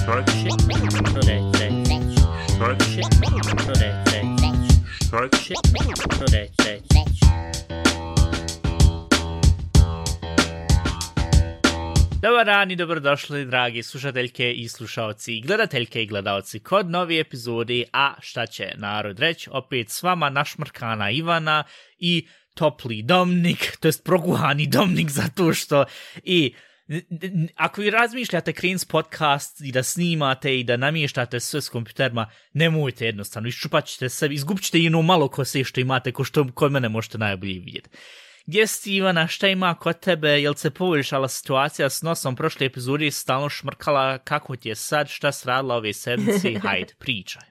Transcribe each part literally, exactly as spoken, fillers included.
Start shit. Today, today. Start shit. Today, today. Start shit. Today, today. Dobar dan i dobrodošli, dragi slušateljke i slušalci, gledateljke i gledalci, kod nove epizode A šta će narod reći, opet s vama našmrkana Ivana i topli Domnik, to jest proguhani Domnik, zato što i ako vi razmišljate krenuti podcast i da snimate i da namještate sve s kompjuterima, nemojte jednostavno, iščupat ćete sebi, izgubit ćete i ono malo kose što imate, ko što kod mene možete najbolje vidjeti. Gdje si, Ivana, šta ima kod tebe, jel se poboljšala situacija s nosom, prošle epizode stalno šmrkala, kako ti je sad, šta si radila ove sedmice, hajde, pričaj.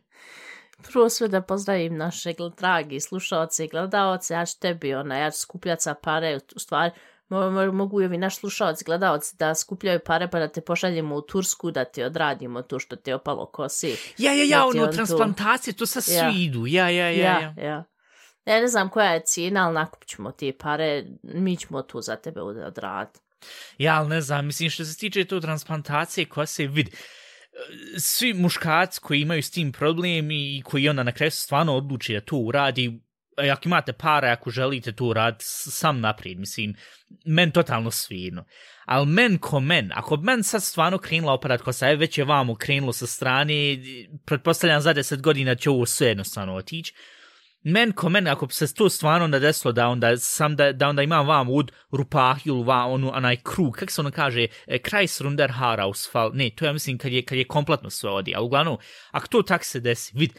Prvo sve da pozdravim naše dragi slušalce i gledalce, ja ću tebi, ona, ja ću skupljati sa pare, u stvari, mogu i ovi naši slušalci, gledalci da skupljaju pare pa da te pošaljemo u Tursku, da ti odradimo to što ti je opalo kosi. Ja, ja, ja, ono, transplantacije, to sad ja. svi idu, ja, ja, ja, ja. ja, ja. Ja ne znam koja je cijena, ali nakupit ćemo te pare, mi ćemo tu za tebe odraditi. Ja, ali ne znam, mislim što se tiče to transplantacije koja se vidi. Svi muškarci koji imaju s tim problem i koji onda na kraju stvarno odluči da to uradi, ako imate para, ako želite to uraditi, sam naprijed, mislim, men totalno svijedno. Ali men ko men, ako men sad stvarno krenula operat kosa, je već je vamo krenulo sa strane, pretpostavljam za deset godina će ovo sve jednostavno otići. Men ko men, ako se to stvarno onda desilo da onda, sam da, da onda imam vam ud rupahil, va, onu, onaj krug, kako se ono kaže, Kreisrunder Haarausfall, ne, to ja mislim kad je, kad je kompletno sve odi, ali uglavnom, ako to tak se desi, vid,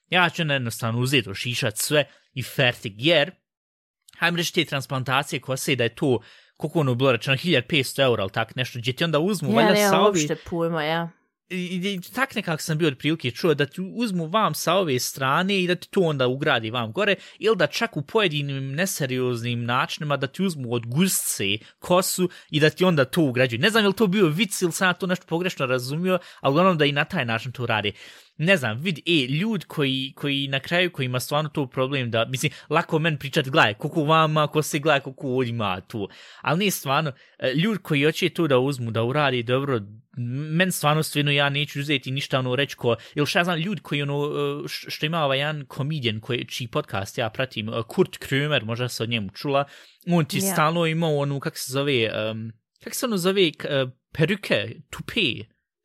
ja ću jednostavno uzeti, ošišat sve i fertig, jer, hajmo reći te transplantacije koja se da je to, koliko ono bilo rečeno, hiljadu petsto eura, ali tak nešto, gdje ti onda uzmu, ja, valjda ne, sa ovi... uopšte pojma, ja. I, i tak nekako sam bio od prilike čuo da ti uzmu vam sa ove strane i da ti to onda ugradi vam gore, ili da čak u pojedinim neserioznim načinima da ti uzmu od gusce kosu i da ti onda to ugrađuju. Ne znam je li to bio vic ili sam ja to nešto pogrešno razumio, ali uglavnom da i na taj način to radi. Ne znam, vidi, e, ljudi koji, koji na kraju, koji ima stvarno to problem da, mislim, lako men pričat, gledaj, koliko vama, ko se gleda, koliko ovdje ima tu. Ali nije stvarno, ljudi koji hoće to da uzmu, da uradi dobro, men stvarno stvarno ja neću uzeti ništa ono reći ko, ili šta znam, ljudi koji ono, što ima ovaj jedan komedijan, koji, čiji podcast ja pratim, Kurt Krömer, možda se od njemu čula, on ti yeah. stalno imao onu, kak se zove, um, kak se ono zove, uh, peruke, tupe,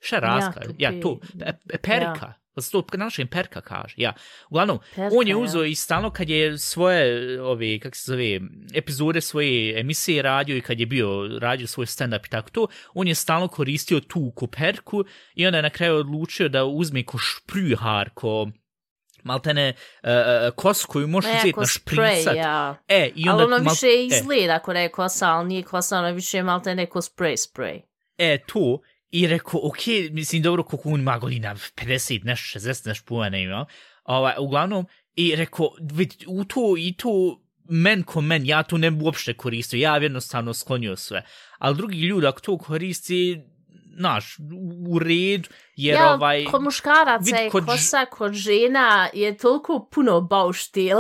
šta razka, ja, ja to, pe, perika. Yeah. To na našem perka kaže, ja. Uglavnom, perka, on je uzeo ja. I stalno kad je svoje, ove, kako se zove, epizode svoje emisije radio i kad je bio radio svoj stand-up i tako to, on je stalno koristio tu ko perku i onda je na kraju odlučio da uzme ko špryhar, ko maltene uh, kos koju možeš ne, uzeti na špricat. Ja. E, i onda, ali ono više mal, izgleda ako je kosa, ali nije kosa, ono više maltene ko spray, spray. E, to... I rekao, ok, mislim, dobro, koliko on ima godina, pedeset, nešto, šezdeset, nešto puno, ne ima. Ovaj, uglavnom, i rekao, vidi, u to, i to, men ko men, ja to ne bi uopšte koristio, ja jednostavno sklonio sve. Ali drugi ljudi, ako to koristi, znaš, u redu, jer ja, ovaj... kod muškaraca je kod... kosa, kod žena je toliko puno bauštil.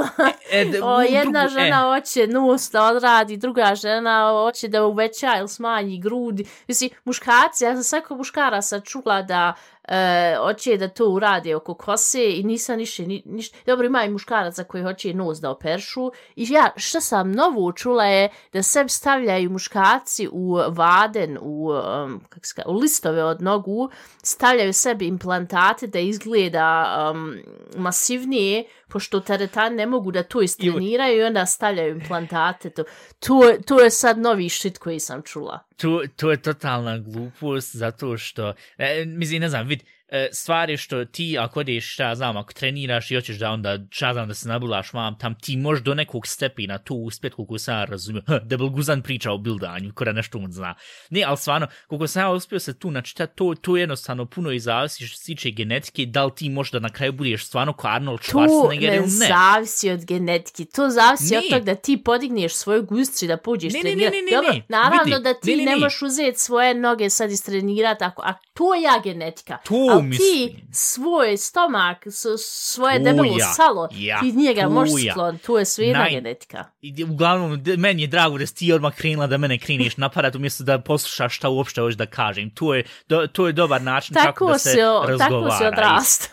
E, de, o, jedna drugu, žena e. hoće nos da odradi, druga žena hoće da uveća ili smanji grudi. Mislim, muškarci, ja sam svako muškaraca čula da e, hoće da to uradi oko kose i nisam ništa, ni, ništa. Dobro, ima i muškaraca koji hoće nos da operšu. I ja, što sam novo čula je da sebi stavljaju muškarci u vaden, u, um, kako se, u listove od nogu, stavljaju sebi implantate da izgleda um, masivnije, pošto teretani ne mogu da to istreniraju i onda stavljaju implantate. To, to, to je sad novi shit koji sam čula. To, to je totalna glupost, zato što, e, mislim, ne znam, vidi, stvari što ti ako odeš, šta znam, ako treniraš i hoćeš da onda, šta znam, da se nabulaš vam tam, ti možeš do nekog stepina tu uspjet, koliko sam ja razumio, Debel Guzan priča o bildanju, kada nešto on zna. Ne, ali stvarno, koliko sam ja uspio se tu načitati, to, to jednostavno puno i zavisi što se tiče genetike, da li ti možda na kraju budeš stvarno kao Arnold Schwarzenegger ili ne. To ne zavisi od genetike, to zavisi ne. Od toga da ti podigneš svoju gustri da pođeš trenirati. Dobro, naravno vidi, da ti ne, ne, ne možeš uzeti svoje noge sad istrenirati, ako, a to je ja genetika. To, ali ti svoj stomak, svoje debelo ja, salo, ja, ti njega možeš sklon, to je sve jedna genetika. Uglavnom, meni je drago da si ti odmah krenula da mene kreniš napadat umjesto da poslušaš šta uopšte hoćeš da kažem. To je, do, to je dobar način tako kako da se razgovara. Tako se odrasta.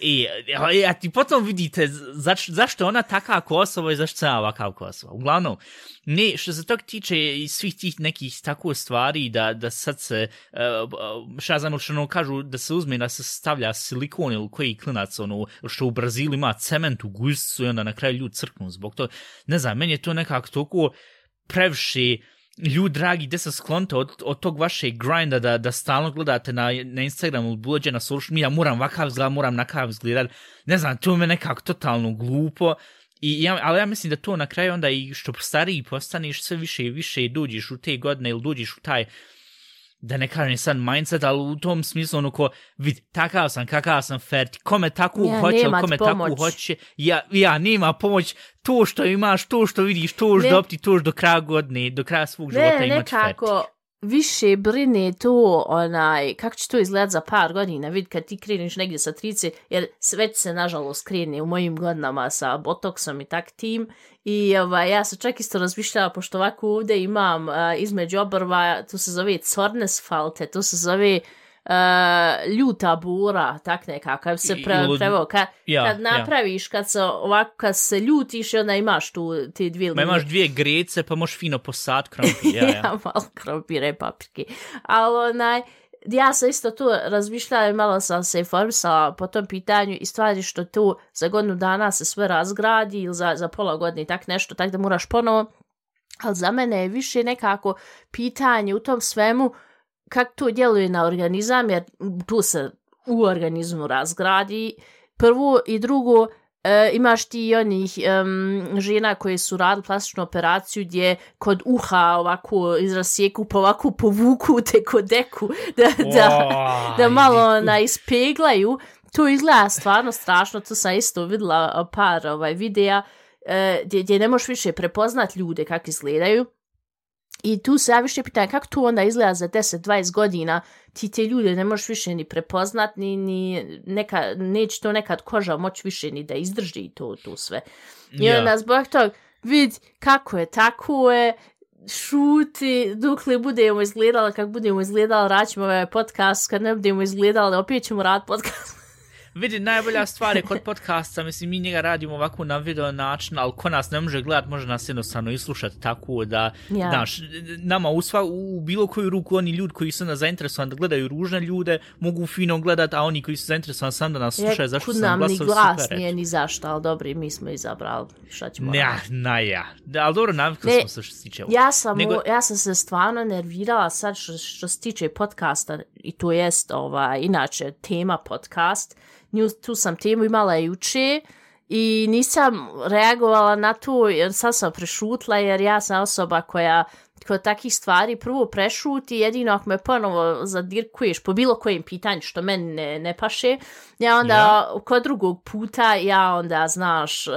I, i a ti potom vidite zač, zašto ona taka Kosovo i zašto sam ovakav Kosovo. Uglavnom, ne, što se tog tiče i svih tih nekih tako stvari da, da sad se, uh, šta znam, što ono kažu da se uzme da se stavlja silikon ili koji klinac, ono, što u Brazilu ima cement u guzicu i onda na kraju ljudi crknu zbog to. Ne znam, meni je to nekako toliko previše. Ljudi, dragi, gde se sklonite od, od tog vašeg grinda da, da stalno gledate na, na Instagramu, buđe na social media, moram vakav izgledat, moram nakav izgledat. Ne znam, to me nekako totalno glupo. I ja, ali ja mislim da to na kraju onda i što stariji postaneš, sve više i više dođeš u te godine ili dođeš u taj, da ne kažem sad mindset, ali u tom smislu ono ko, vidi, takav sam, kakav sam ferti, kome tako ja, hoće, kome tako hoće, ja, ja, nema pomoć, to što imaš, to što vidiš, to što dopti, to što do kraja godine, do kraja svog života ne, imati ferti. Nekako više brine to, onaj, kako će to izgledati za par godina, vidi kad ti kreniš negdje sa trideset, jer već se nažalost krene u mojim godinama sa botoksom i tak tim, i ovaj, ja sam čak isto razmišljala, pošto ovako ovdje imam uh, između obrva, to se zove Zornesfalte, to se zove uh, ljuta bura, tak nekako, kad se pre, preveo, kad, ja, kad napraviš, ja. kad se ovako, kad se ljutiš, onda imaš tu te dvije linije. Ma imaš dvije grece, pa možeš fino posad krompir, ja, ja. ja, malo krompire i paprike, ali onaj, ja sam isto tu razmišljala i malo sam se informisala po tom pitanju i stvari što tu za godinu dana se sve razgradi ili za, za pola godine i tak nešto, tak da moraš ponovo, ali za mene je više nekako pitanje u tom svemu kako to djeluje na organizam, jer tu se u organizmu razgradi prvo i drugo. E, imaš ti i onih um, žena koje su radili plastičnu operaciju gdje kod uha ovako izrasijeku pa ovako povuku te kod deku da, oh, da, da malo na ispeglaju. To izgleda stvarno strašno, to sam isto vidjela par ovaj, videa e, gdje, gdje ne možeš više prepoznat ljude kako izgledaju. I tu se ja više pitam kako to onda izgleda za deset dvadeset godina, ti te ljude ne možeš više ni prepoznat, ni, ni neka, neće to nekad koža moći više ni da izdrži to, to sve. I yeah. onda zbog tog vidi kako je, tako je, šuti, dok li budemo izgledali, kako budemo izgledali, raćemo ovaj podcast, kad ne budemo izgledali, opet ćemo rad podcast. Vidi, najbolja stvar je kod podcasta, mislim, mi njega radimo ovako na video način, ali ko nas ne može gledat, može nas jednostavno i slušati tako da, ja. Znaš, nama u, sva, u bilo koju ruku oni ljudi koji su nas zainteresovani da gledaju ružne ljude, mogu fino gledat, a oni koji su zainteresovani sam da nas slušaju, zašto sam glasao super. Kud nam ni glas nije ni zašto, ali dobri, mi smo izabrali, šta ćemo ja, na ja, da, ali dobro, navikli smo se što se tiče. Ja sam, Nego... ja sam se stvarno nervirala sad što, što se tiče podcasta, i to jest, ovaj, inače, tema podcast. Nju, tu sam temu imala juče i nisam reagovala na to jer sad sam prešutla jer ja sam osoba koja kod takih stvari prvo prešuti, jedino ako me ponovo zadirkuješ po bilo kojem pitanju što meni ne, ne paše, ja onda ja. Kod drugog puta ja onda, znaš, uh,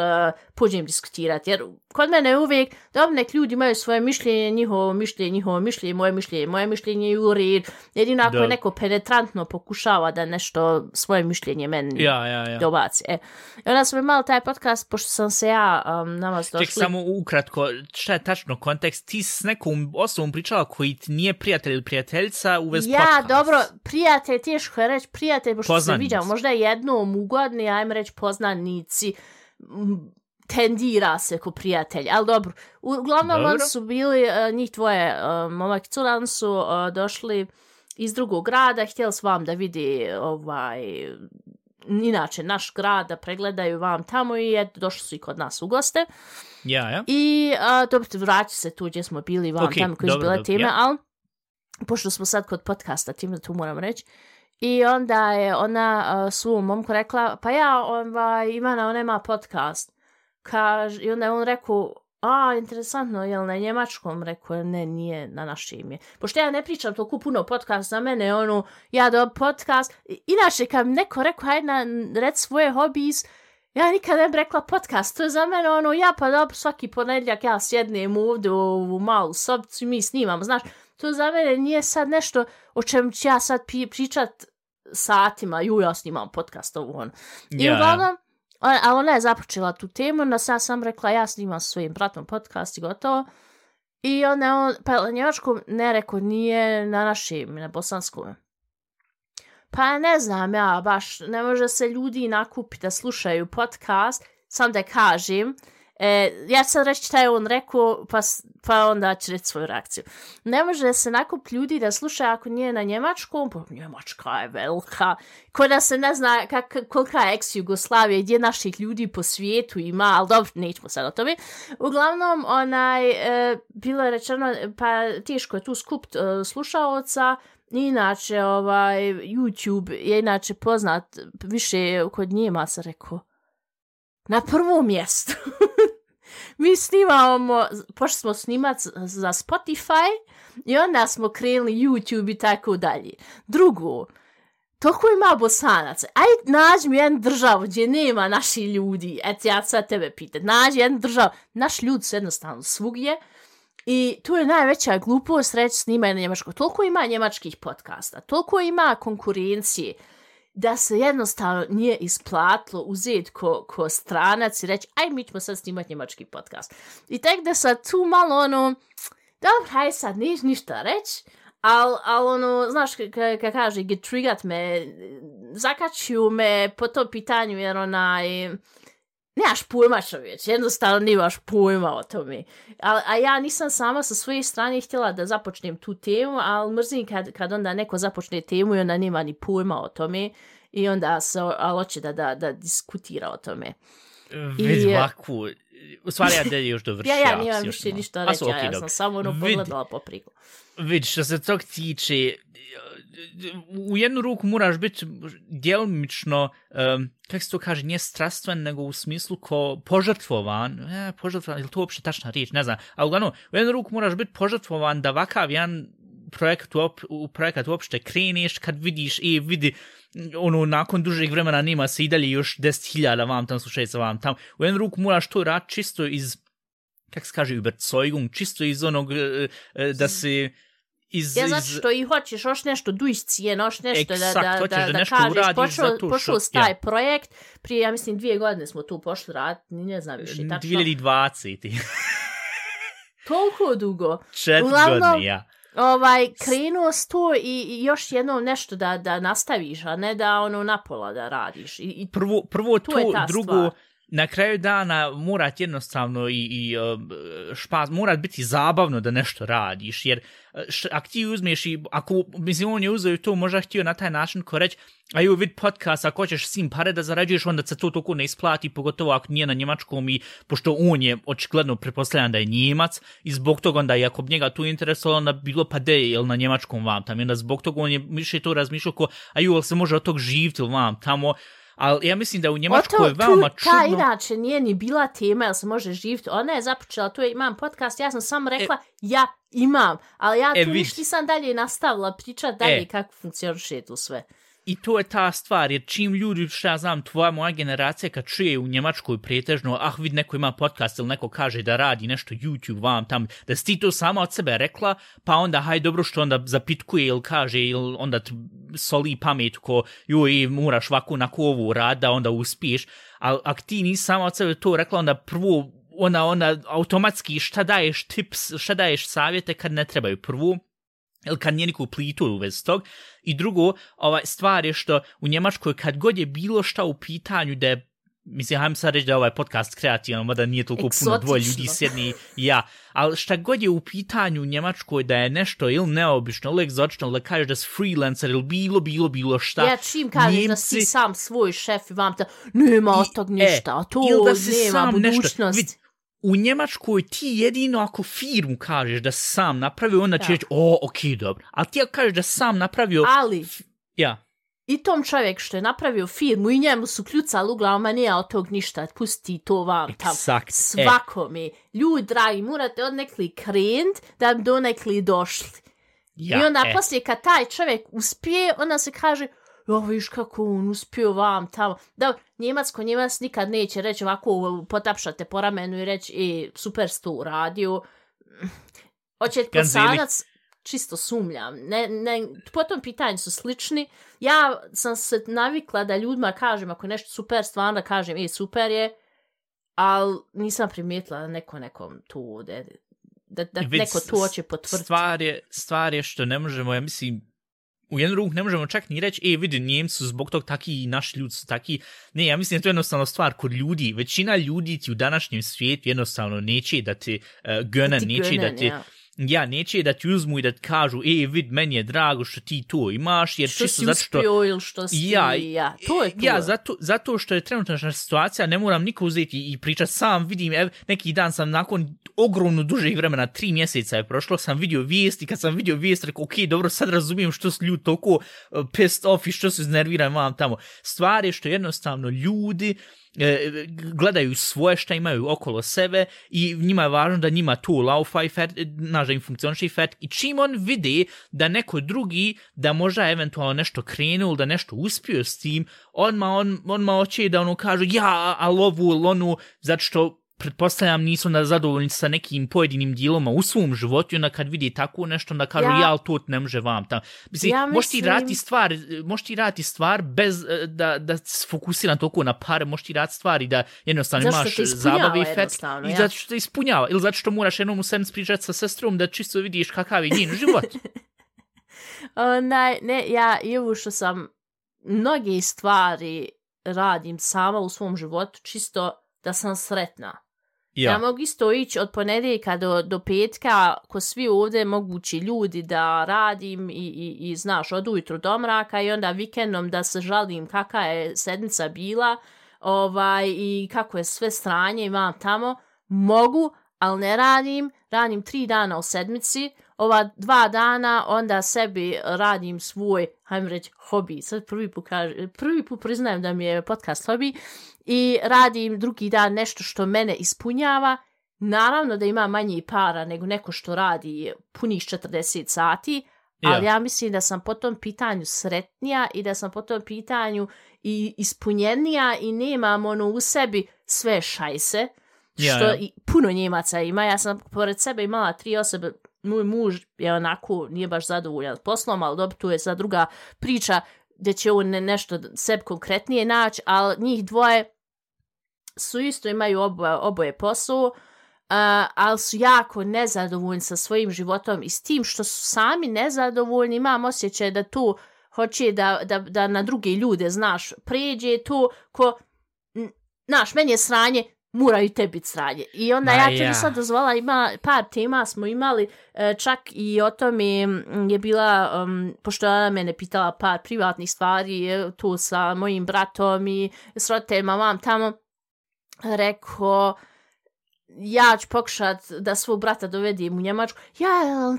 pođem diskutirati, jer kod mene uvijek, dobro, nek ljudi imaju svoje mišljenje, njihovo mišljenje, njihovo mišljenje, moje mišljenje, moje mišljenje je u red, jedino ako da. Neko penetrantno pokušava da nešto svoje mišljenje meni ja, ja, ja. dobaci. E. I onda sam imala taj podcast, pošto sam se ja um, na vas došli. Ček, samo ukratko, šta je tačno kontekst, ti s nekom osobom pričala koji nije prijatelj ili prijateljica u vez ja, podcast. Ja, dobro, prijatelj, teško je reći prijatelj, pošto se viđam, možda jednom ugodni, ajme reći poznanici, tendira se ko prijatelj, ali dobro. Uglavnom, dobro. Oni su bili, uh, njih dvoje, uh, momak i cura, oni su uh, došli iz drugog grada, htjeli su vam da vidi ovaj, inače naš grad, da pregledaju vam tamo i je, došli su i kod nas u goste. Ja, ja. I uh, dobro, vraći se tu gdje smo bili vam okay, tamo koji su bile teme, ja. Ali pošto smo sad kod podcasta, tim da tu moram reći, i onda je ona uh, svom momku rekla, pa ja, ovaj, Ivana, ona ima podcast. Kaž, I onda je on rekao, a, interesantno, je li na njemačkom? Rekao, ne, nije na našem ime. Pošto ja ne pričam toliko puno podcast za mene, ono, ja do podcast. Inače, kad neko rekao, hajde na, reci svoje hobijs, ja nikad ne bi rekla podcast, to je za mene ono, ja pa dobro, svaki ponedjeljak ja sjednem ovdje u ovu malu sobicu i mi snimamo, znaš, to za mene nije sad nešto o čem ću ja sad pi- pričat satima, ju ja snimam podcast ovo ono. I yeah. uglavnom, ali ona je započela tu temu, onda sam sam rekla ja snimam sa svojim bratom podcast i gotovo. I onda on, pa na njemačkom ne rekao, nije na našem, na bosanskom. Pa ne znam ja, baš ne može se ljudi nakupiti da slušaju podcast, sam da kažem, e, ja ću sad reći šta je on rekao, pa, pa onda ću reći svoju reakciju. Ne može se nakupiti ljudi da slušaju ako nije na njemačkom, pa Njemačka je velika, ko da se ne zna kak, kolika je ex-Jugoslavija, gdje naših ljudi po svijetu ima, ali dobro, nećemo sad o tome. Uglavnom, onaj, e, bilo je rečeno, pa teško je tu skupiti e, slušaoca. Inače, ovaj, YouTube je inače poznat više kod Njemaca, rekao, na prvom mjestu. Mi snimamo, pošli smo snimat za Spotify i onda smo krenuli YouTube i tako dalje. Drugo, toliko ima Bosanaca. Aj, nađi mi jednu državu gdje nema naši ljudi. Eto, ja sad tebe pitam. Nađi jednu državu. Naši ljudi su jednostavno svugdje. I tu je najveća glupost reći snimaj na njemačko. Toliko ima njemačkih podcasta, toliko ima konkurencije da se jednostavno nije isplatilo uzeti ko, ko stranac i reći aj mi ćemo sad snimati njemački podcast. I tek da sad tu malo ono, dobro, haj sad niš ništa reći, ali al ono, znaš kako kaže, getrigat me, zakačuju me po tom pitanju jer onaj, nemaš pojma čovječ, jednostavno nemaš pojma o tome. A, a ja nisam sama sa svoje strane htjela da započnem tu temu, ali mrzim kad, kad onda neko započne temu i onda nema ni pojma o tome i onda se hoće da, da, da diskutira o tome. Vidi ovakvu, u stvari ja da još dovrši. ja, ja nimam više ništa reći, ja, ja sam samo ono pogledala po priku. Vidi, što se tog tiče, u jednu ruku moraš biti djelomično, um, kako se to kaže, nije strastven, nego u smislu ko požrtvovan, e, požrtvovan, je li to uopšte tačna riječ, ne znam, ali uglavnom, u jednu ruku moraš biti požrtvovan da vakav jedan projekat, u, u projekat uopšte kreneš, kad vidiš, i vidi, ono, nakon dužeg vremena nema se i dalje još deset hiljada vam tam slušajca vam tam, u jednu ruku moraš to raditi čisto iz, kako se kaže, Überzeugung, čisto iz onog, da se Iz, ja znači što i hoćeš, još nešto duš cijene, još nešto Exakt, da, da, da, da nešto kažeš, pošao, pošao s taj ja. projekt, prije, ja mislim, dvije godine smo tu pošli raditi, ne znam više, tačno. dvije hiljade dvadesete Toliko dugo. Četiri godine, ja. Ovaj, krenuo s to i, i još jednom nešto da, da nastaviš, a ne da ono napola da radiš. I, i prvo, prvo to, to drugo, stvar. Na kraju dana morat jednostavno i, i špas, morat biti zabavno da nešto radiš, jer š, ako ti uzmeš i, ako, mislim, on je uzeo to, možda htio na taj način ko reći, a ju vid podcast, ako hoćeš sim pare da zarađuješ, onda se to toliko ne isplati, pogotovo ako nije na njemačkom i pošto on je očigledno pretpostavljan da je Njemac i zbog toga onda i ako bi njega tu interesovalo, onda bilo pa de, jel na njemačkom vam tamo, i onda zbog toga on je više to razmišljao ko, a ju, jel se može od tog živjeti vam tamo. Ali ja mislim da u Njemačkoj je veoma čudno. Ta inače nije ni bila tema, jel se može živjeti. Ona je započela, tu je imam podcast, ja sam samo rekla, e, ja imam. Ali ja e, tu ništa nisam dalje nastavila pričati dalje e, kako funkcioniše tu sve. I to je ta stvar, jer čim ljudi, što ja znam, tvoja moja generacija kad čuje u Njemačkoj pretežno, ah, vid, neko ima podcast ili neko kaže da radi nešto YouTube vam tam, da si ti to sama od sebe rekla, pa onda, haj, dobro što onda zapitkuje ili kaže, ili onda soli pamet ko, joj, moraš ovako na kovu rad, da onda uspiješ, ali ako ti nisi sama od sebe to rekla, onda prvo, ona, ona, automatski šta daješ tips, šta daješ savjete kad ne trebaju prvo, ili kad nije niku plitu u vezi tog. I drugo, ovaj, stvar je što u Njemačkoj kad god je bilo šta u pitanju da je, mislim, hajmo sad reći da je ovaj podcast kreativan, mada nije toliko Eksotično. Puno dvoje ljudi sjedni, ja, ali šta god je u pitanju u Njemačkoj da je nešto ili neobično, ili egzotično, ili da kažeš da si freelancer, ili bilo, bilo, bilo šta. Ja čim kažeš Njemci, da si sam svoj šef i vam te, nema od tog ništa, a to nema budućnost. U Njemačkoj ti jedino ako firmu kažeš da sam napravio, onda će reći, o, okej, okay, dobro. Ali ti ako kažeš da sam napravio... Ali, ja. i tom čovjek što je napravio firmu i njemu su kljucali uglavnom, a nije od tog ništa, pusti to vam tam. Exakt. Svakome. E. Ljudi, dragi, morate odnekli krenut da bi donekli došli. Ja, I onda e. poslije kad taj čovjek uspije, onda se kaže... Jo, viš kako on uspio vam tamo. Da, Njemacko, Njemac nikad neće reći ovako, potapšate po ramenu i reći, e, super si to uradio. Hoće posanac, čisto sumnjam. Ne, ne, po tom pitanju su slični. Ja sam se navikla da ljudima kažem, ako nešto super, stvarno da kažem, ej, super je, ali nisam primijetila da neko nekom tu, da, da, da neko to hoće potvrditi. Stvar je, stvar je što ne možemo, ja mislim, u jednu ruku ne možemo čak ni reći, e, vidi, Njemci su zbog tog taki i naši ljudi su taki. Ne, ja mislim da to je jednostavno stvar kod ljudi. Većina ljudi ti u današnjem svijetu jednostavno neće da ti uh, gøne, neće da ti... Ja. Ja, neće da ti uzmu i da ti kažu, e, vid, meni je drago što ti to imaš, jer što čisto si zato što... uspio ili što si... Ja, ja, to je to. Ja, zato, zato što je trenutna situacija, ne moram niko uzeti i pričati sam, vidim, ev, neki dan sam nakon ogromno dužeg vremena, tri mjeseca je prošlo, sam vidio vijesti, kad sam vidio vijesti, rekao, ok, dobro, sad razumijem što su ljudi toliko uh, pissed off i što su iznervirani vam tamo. Stvar je što jednostavno ljudi gledaju svoje šta imaju okolo sebe i njima je važno da njima to laufa i fet, znaš, da im funkcioniše i fet, i čim on vidi da neko drugi da možda eventualno nešto krenuo, da nešto uspio s tim, odmah on, on hoće da ono kaže ja, ali ovu ili onu, zato što pretpostavljam nisu da zadovoljni sa nekim pojedinim dijeloma u svom životu i onda kad vidi tako nešto onda kažu ja, ja ali to ne može vam tam. Mislim, ja možeš ti raditi stvar, možeš ti raditi stvar bez da, da se fokusira toliko na pare, možeš ti raditi stvari da jednostavno imaš zabave i fet i ja. Zato što te ispunjava ili zato što moraš jednom u sedmicu pričati sa sestrom da čisto vidiš kakav je njen život. o, ne, ne, ja i ovo što sam mnoge stvari radim sama u svom životu čisto da sam sretna. Ja. ja mogu isto ići od ponedjeljka do, do petka, ko svi ovdje mogući ljudi da radim i, i, i znaš, od ujutru do mraka i onda vikendom da se žalim kakva je sedmica bila ovaj, i kako je sve stranje imam tamo. Mogu, ali ne radim. Radim tri dana u sedmici. Ova dva dana onda sebi radim svoj, hajmo reći, hobi. Sad prvi put, kaži, prvi put priznajem da mi je podcast hobi. I radim drugi dan nešto što mene ispunjava. Naravno da ima manje para nego neko što radi punih četrdeset sati, ali ja. ja mislim da sam po tom pitanju sretnija i da sam po tom pitanju i ispunjenija i nemam ono u sebi sve šajse, što ja, ja. I puno Njemaca ima. Ja sam pored sebe imala tri osobe, moj muž je onako, nije baš zadovoljan poslom, ali dobro, tu je sad druga priča gdje će on ne, nešto sebi konkretnije naći, ali njih dvoje su isto imaju oboje, oboje posao, uh, ali su jako nezadovoljni sa svojim životom i s tim što su sami nezadovoljni, imam osjećaj da tu hoće da, da, da na druge ljude, znaš, pređe to ko, znaš, meni je sranje, mora i tebi biti sranje. I onda Ma, ja tebi ja. sad dozvala, ima, par tema smo imali, čak i o tome je bila, um, pošto ona mene pitala par privatnih stvari, tu sa mojim bratom i s roditeljima vam tamo, rekao, ja ću pokušat da svog brata dovedim u Njemačku. Ja,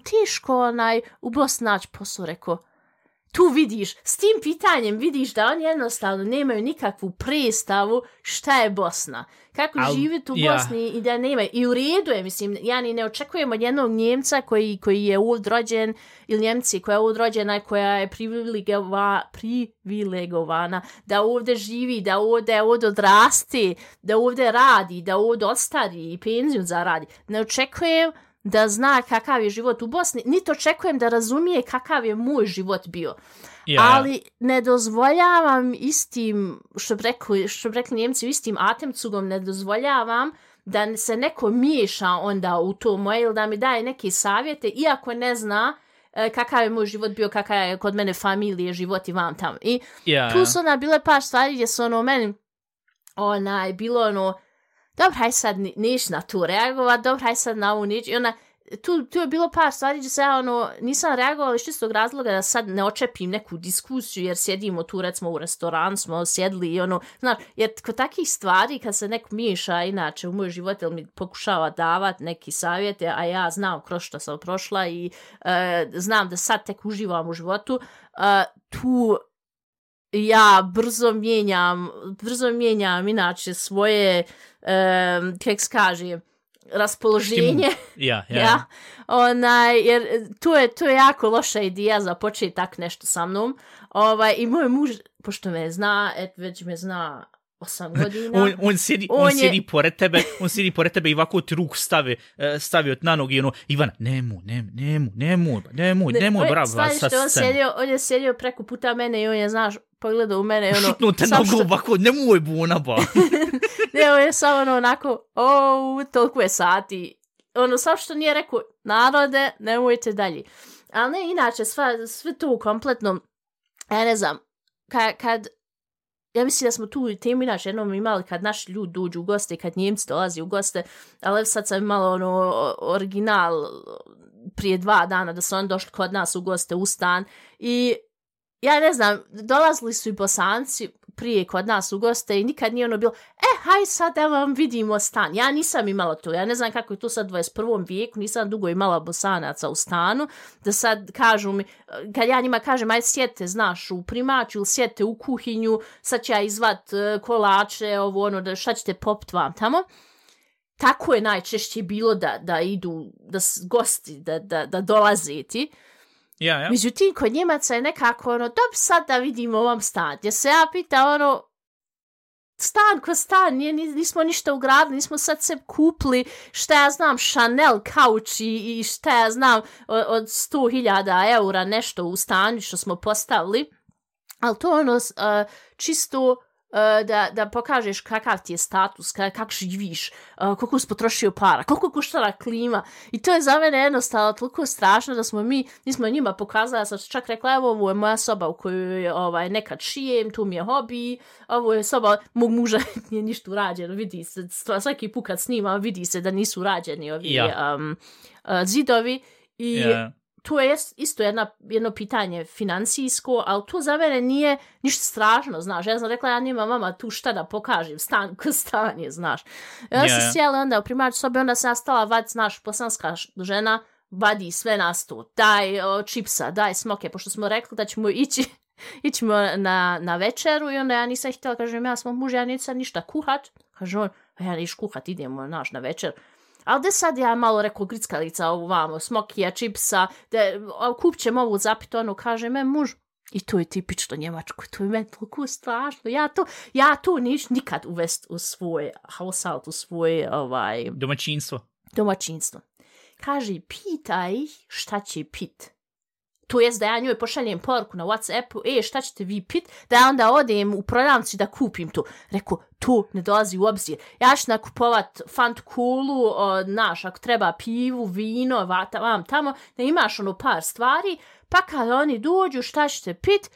tiško onaj, u Bosni naći posao, rekao, tu vidiš, s tim pitanjem vidiš da oni jednostavno nemaju nikakvu predstavu šta je Bosna. Kako Al, živjeti u Bosni ja. I da nemaju. I u redu je, mislim, ja ni ne očekujem od jednog Njemca koji, koji je ovdje rođen, ili Njemci koja je ovdje rođena, koja je privilegova, privilegovana, da ovdje živi, da ovdje, ovdje odrasti, da ovdje radi, da ovdje ostari i penziju zaradi. Ne očekujem da zna kakav je život u Bosni, niti očekujem da razumije kakav je moj život bio. Yeah. Ali ne dozvoljavam istim, što bi rekli, što bi rekli Njemci, istim atemcugom ne dozvoljavam da se neko miješa onda u to moje ili da mi daje neke savjete, iako ne zna e, kakav je moj život bio, kakav je kod mene familije, život i vam tamo. I yeah. tu su ona bile par stvari gdje su ono meni onaj, bilo ono, dobro, haj sad neš na to reagovat, dobro, haj sad na ovu neću. I ona, tu, tu je bilo par stvari gdje se ja ono, nisam reagovala iz čistog razloga da sad ne očepim neku diskusiju, jer sjedimo tu, recimo u restoran, smo sjedli i ono, znaš, jer kod takih stvari kad se neko miješa inače u moj život ili mi pokušava davati neki savjete, a ja znam kroz što sam prošla i uh, znam da sad tek uživam u životu, uh, tu ja brzo mijenjam, brzo mijenjam inače svoje, um, kako se kaže, raspoloženje. Ja, ja. ja. Onaj, jer to je, to je jako loša ideja za početi tak nešto sa mnom. Ovaj, i moj muž, pošto me zna, et, već me zna osam godina. on, on sjedi, on, on sjedi je... pored tebe, on sjedi pored tebe i ovako ti ruku stavi, stavio na nogi i ono, Ivana, nemoj, nemoj, nemoj, nemoj, nemoj, ne, nemoj, bravo. Staviš te, on, sjedio, on je sjedio preko puta mene i on je, znaš, pogledao u mene i ono... Šutnuo te nogu što... ovako, nemoj buna, ba. Ne, on je samo ono onako, o, toliko je sati. Ono, samo što nije rekao, narode, nemojte dalje. Ali ne, inače, sva, sve to kompletno, ja ne znam, kad, kad ja mislim da smo tu temu inače jednom imali kad naši ljudi dođu u goste, kad Njemci dolazi u goste, ali sad sam imala ono original prije dva dana da su oni došli kod nas u goste u stan i ja ne znam, dolazili su i Bosanci prije kod nas u goste i nikad nije ono bilo, e, haj sad da vam vidimo stan. Ja nisam imala to, ja ne znam kako je to sad u dvadeset prvom vijeku, nisam dugo imala Bosanaca u stanu, da sad kažu mi, kad ja njima kažem, aj sjete, znaš, u primaću ili sjete u kuhinju, sad će ja izvat uh, kolače, ovo ono, da šta ćete popit vam tamo. Tako je najčešće bilo da, da idu, da gosti, da, da, da dolaze ti. Ja, ja. Međutim, kod Njemaca je nekako ono, dobro sad da vidimo ovom stan. Ja se ja pita ono, stan ko stan, nije, nismo ništa ugradili, nismo sad se kupili, šta ja znam, Chanel kauč i, i šta ja znam, od, od sto hiljada eura nešto u stanu što smo postavili. Ali to ono, uh, čisto... Da, da pokažeš kakav ti je status, kako živiš, koliko si potrošio para, koliko koštala klima. I to je za mene jednostavno toliko strašno da smo mi, nismo njima pokazali, ja sam čak rekla, evo, ovo je moja soba u kojoj ovaj, nekad šijem, tu mi je hobi, ovo je soba mog muža, nije ništa urađeno, vidi se, svaki put kad snimam, vidi se da nisu urađeni ovi ja. um, uh, zidovi. I ja. To je isto jedna, jedno pitanje financijsko, ali to za mene nije ništa strašno, znaš. Ja sam rekla, ja nimam mama tu šta da pokažem, stan ko stan je, znaš. Ja yeah. sam sjela onda u primaću sobe, onda sam stala vad, znaš, bosanska žena, vadi sve na sto, daj o, čipsa, daj smoke, pošto smo rekli da ćemo ići, ićemo na, na večeru i onda ja nisam htjela, kažem, ja sam muž, ja nisam ništa kuhat, kaže on, ja niš kuhat, idemo, naš, na večer. Ali da sad ja malo rekao grickalica ovu vamo, smokija, čipsa, da kup ćemo ovu zapit, ono kaže me muž. I to je tipično njemačko, to je meni toliko strašno. Ja to, ja to niš nikad uvest u svoj household, u svoje ovaj, domaćinstvo. Domaćinstvo. Kaže, pitaj ih šta će pit. To jest da ja njoj pošaljem poruku na WhatsAppu, e, šta ćete vi pit, da ja onda odem u prodavnicu da kupim to. Rekao, to ne dolazi u obzir. Ja ću nakupovat Fant Kulu, naš, ako treba pivu, vino, vata, vam tamo, da imaš ono par stvari, pa kad oni dođu, šta ćete pit,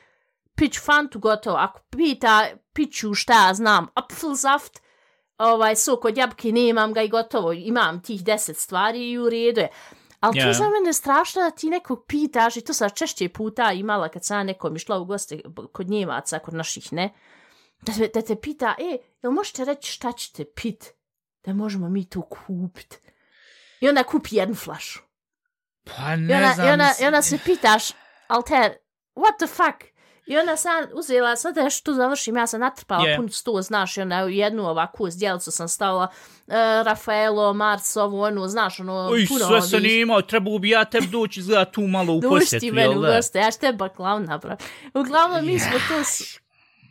pić Fantu gotovo. Ako pita, piću šta ja znam, apfelsaft, ovaj, sok od jabke, nemam ga i gotovo, imam tih deset stvari i u redu je. Ali yeah. to za mene strašno da ti nekog pitaš, i to sam češće puta imala kad sam nekom išla u goste kod Njemaca, kod naših, ne? Da te, da te pita, e, jel možete reći šta ćete pit? Da možemo mi to kupit. I onda kupi jednu flašu. Pa ne I onda, znam. I onda, i onda se pitaš, Alter, what the fuck? I onda sam uzela, sad da što završim, ja sam natrpala yeah. pun sto, znaš, i onda jednu ovakvu zdjelicu sam stavila uh, Rafaelo, Mars, ovu, onu, znaš, ono, Uj, puno sve ovih... se nima, treba bi ja teb doći, izgleda tu malo u posjetu, jel da? Doći ti meni u goste, ja ću te baklav napraviti. Uglavnom, mi smo to,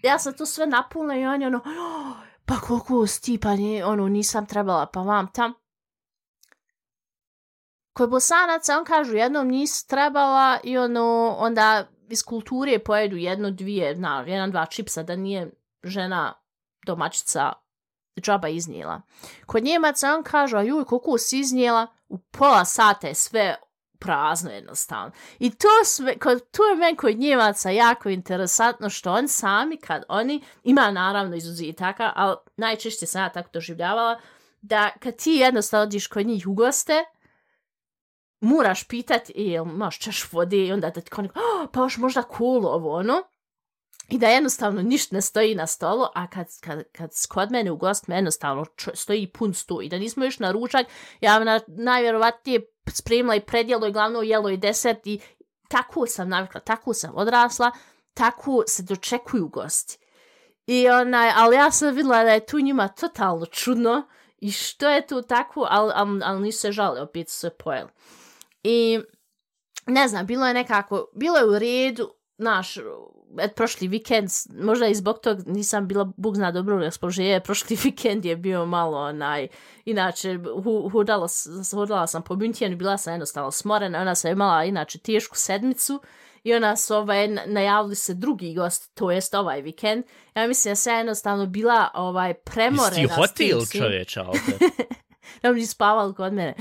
ja sam to sve napunila i on je ono, oh, pa koliko stipanje, ono, nisam trebala, pa vam tam. Kod Bosanaca, on kažu, jednom nisi trebala i ono, onda iz kulture pojedu jedno, dvije, na, jedan, dva čipsa, da nije žena domaćica džaba iznijela. Kod Njemaca on kaže, a juj, koliko si iznijela, u pola sata je sve prazno jednostavno. I to, sve, kod, to je meni kod Njemaca jako interesantno, što oni sami, kad oni, ima naravno izuzetaka, ali najčešće sam ja tako doživljavala, da kad ti jednostavno odiš kod njih u goste, moraš pitati, jel imaš čaš vode i onda da ti kao neko, oh, pa još možda kolo ovo, ono. I da jednostavno ništa ne stoji na stolu, a kad, kad, kad kod mene u gost me jednostavno stoji pun sto i da nismo još na ručak, ja na, najvjerovatnije spremila i predjelo i glavno jelo i desert i tako sam navikla, tako sam odrasla, tako se dočekuju gosti. I onaj, ali ja sam vidjela da je tu njima totalno čudno i što je tu tako, ali, ali, ali nisu se žali, opet su se pojeli. I ne znam, bilo je nekako, bilo je u redu, naš, et, prošli vikend, možda i zbog tog nisam bila, Bog zna, dobro raspoloženje, prošli vikend je bio malo onaj, inače, hu, hudala, hudala sam po Münchenu, bila sam jednostavno smorena, ona sam imala inače tešku sedmicu i ona su ovaj, najavili se drugi gost, to jest ovaj vikend. Ja mislim da sam jednostavno bila ovaj, premorena. Jesi hotel čovječa ovdje? Da mi spavali kod mene.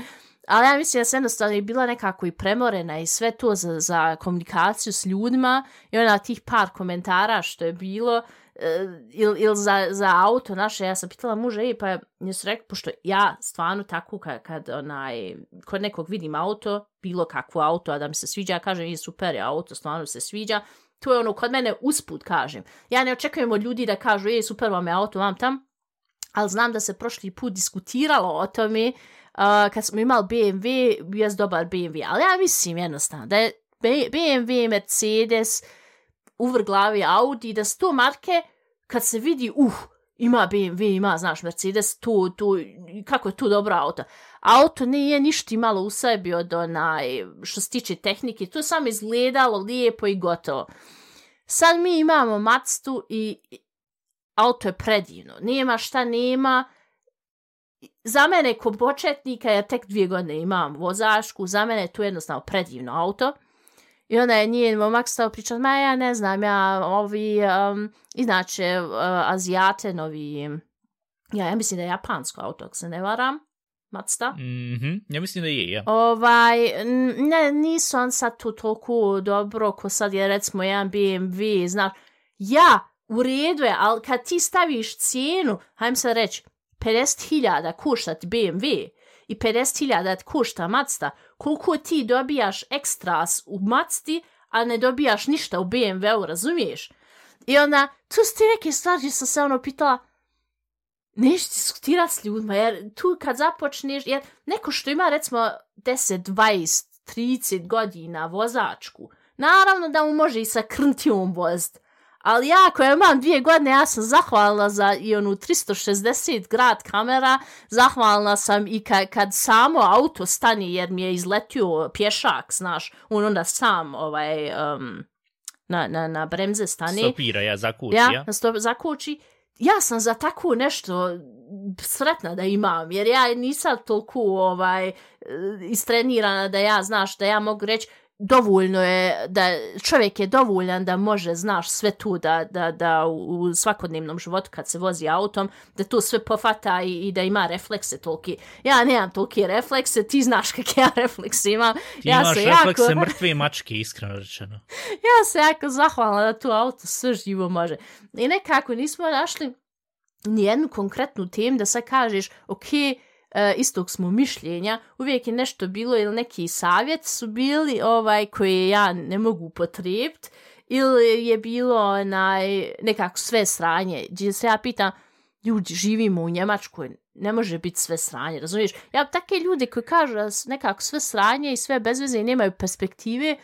Ali ja mislim da sam jednostavno je bila nekako i premorena i sve to za, za komunikaciju s ljudima i ona tih par komentara što je bilo ili il za, za auto naše, ja sam pitala muža i pa je su rekao, pošto ja stvarno tako kad, kad onaj, kod nekog vidim auto, bilo kakvo auto, a da mi se sviđa, ja kažem, je super je auto, stvarno se sviđa, to je ono, kod mene usput kažem. Ja ne očekujem od ljudi da kažu, je super vam je auto, vam tam, ali znam da se prošli put diskutiralo o tome, uh, kad smo imali B M W, bio dobar B M W, ali ja mislim jednostavno da je B M W, Mercedes, uvrglavi Audi, da su to marke, kad se vidi, uh, ima B M W, ima, znaš, Mercedes, tu, tu, kako je tu dobro auto. Auto nije ništa malo u sebi od onaj, što se tiče tehnike, to je samo izgledalo lijepo i gotovo. Sad mi imamo Mazdu i auto je predivno. Nema šta nema. Za mene ko početnika, ja tek dvije godine imam vozačku, za mene je to jednostavno predivno auto. I onda je njen momak stao pričati, ma ja ne znam, ja ovi, um, inače, uh, Azijate, novi, ja, ja mislim da je japansko auto, ako se ne varam, Mazda. Mm-hmm. Ja mislim da je, ja. Ovaj, ne, nisu on sad tu toliko dobro, ko sad je recimo jedan B M W, znaš, ja, u redu je, ali kad ti staviš cijenu, hajdem sad reći, pedeset hiljada košta ti B M W i pedeset hiljada košta Mazda, koliko ti dobijaš ekstras u Mazdi, a ne dobijaš ništa u B M W-u, razumiješ? I onda, tu su ti neke stvari, sam se ono pitala, neš diskutirati s ljudima, jer tu kad započneš, jer neko što ima recimo deset, dvadeset, trideset godina vozačku, naravno da mu može i sa krntijom voziti, ali ja koja imam dvije godine, ja sam zahvalna za i onu tristo šezdeset grad kamera, zahvalna sam i ka, kad samo auto stane jer mi je izletio pješak, znaš, on onda sam ovaj, um, na, na, na bremze stane. Stopira, ja, zakući, ja. Ja, stop, zakući. Ja sam za tako nešto sretna da imam, jer ja nisam toliko ovaj, istrenirana da ja, znaš, da ja mogu reći, dovoljno je, da čovjek je dovoljan da može, znaš, sve tu da, da, da u svakodnevnom životu kad se vozi autom, da to sve pofata i, i da ima reflekse toliki. Ja nemam toliki reflekse, ti znaš kakve ja reflekse imam. Ti ja imaš se reflekse jako... mrtve mačke, iskreno rečeno. Ja se jako zahvalna da tu auto sve živo može. I nekako nismo našli nijednu konkretnu temu da sad kažeš, okej, okay, Uh, istog smo mišljenja, uvijek je nešto bilo ili neki savjet su bili ovaj koje ja ne mogu potrebiti ili je bilo onaj, nekako sve sranje. Gdje se ja pitam, ljudi, živimo u Njemačkoj, ne može biti sve sranje, razumiješ? Ja take ljude koji kažu da su nekako sve sranje i sve bez veze i nemaju perspektive,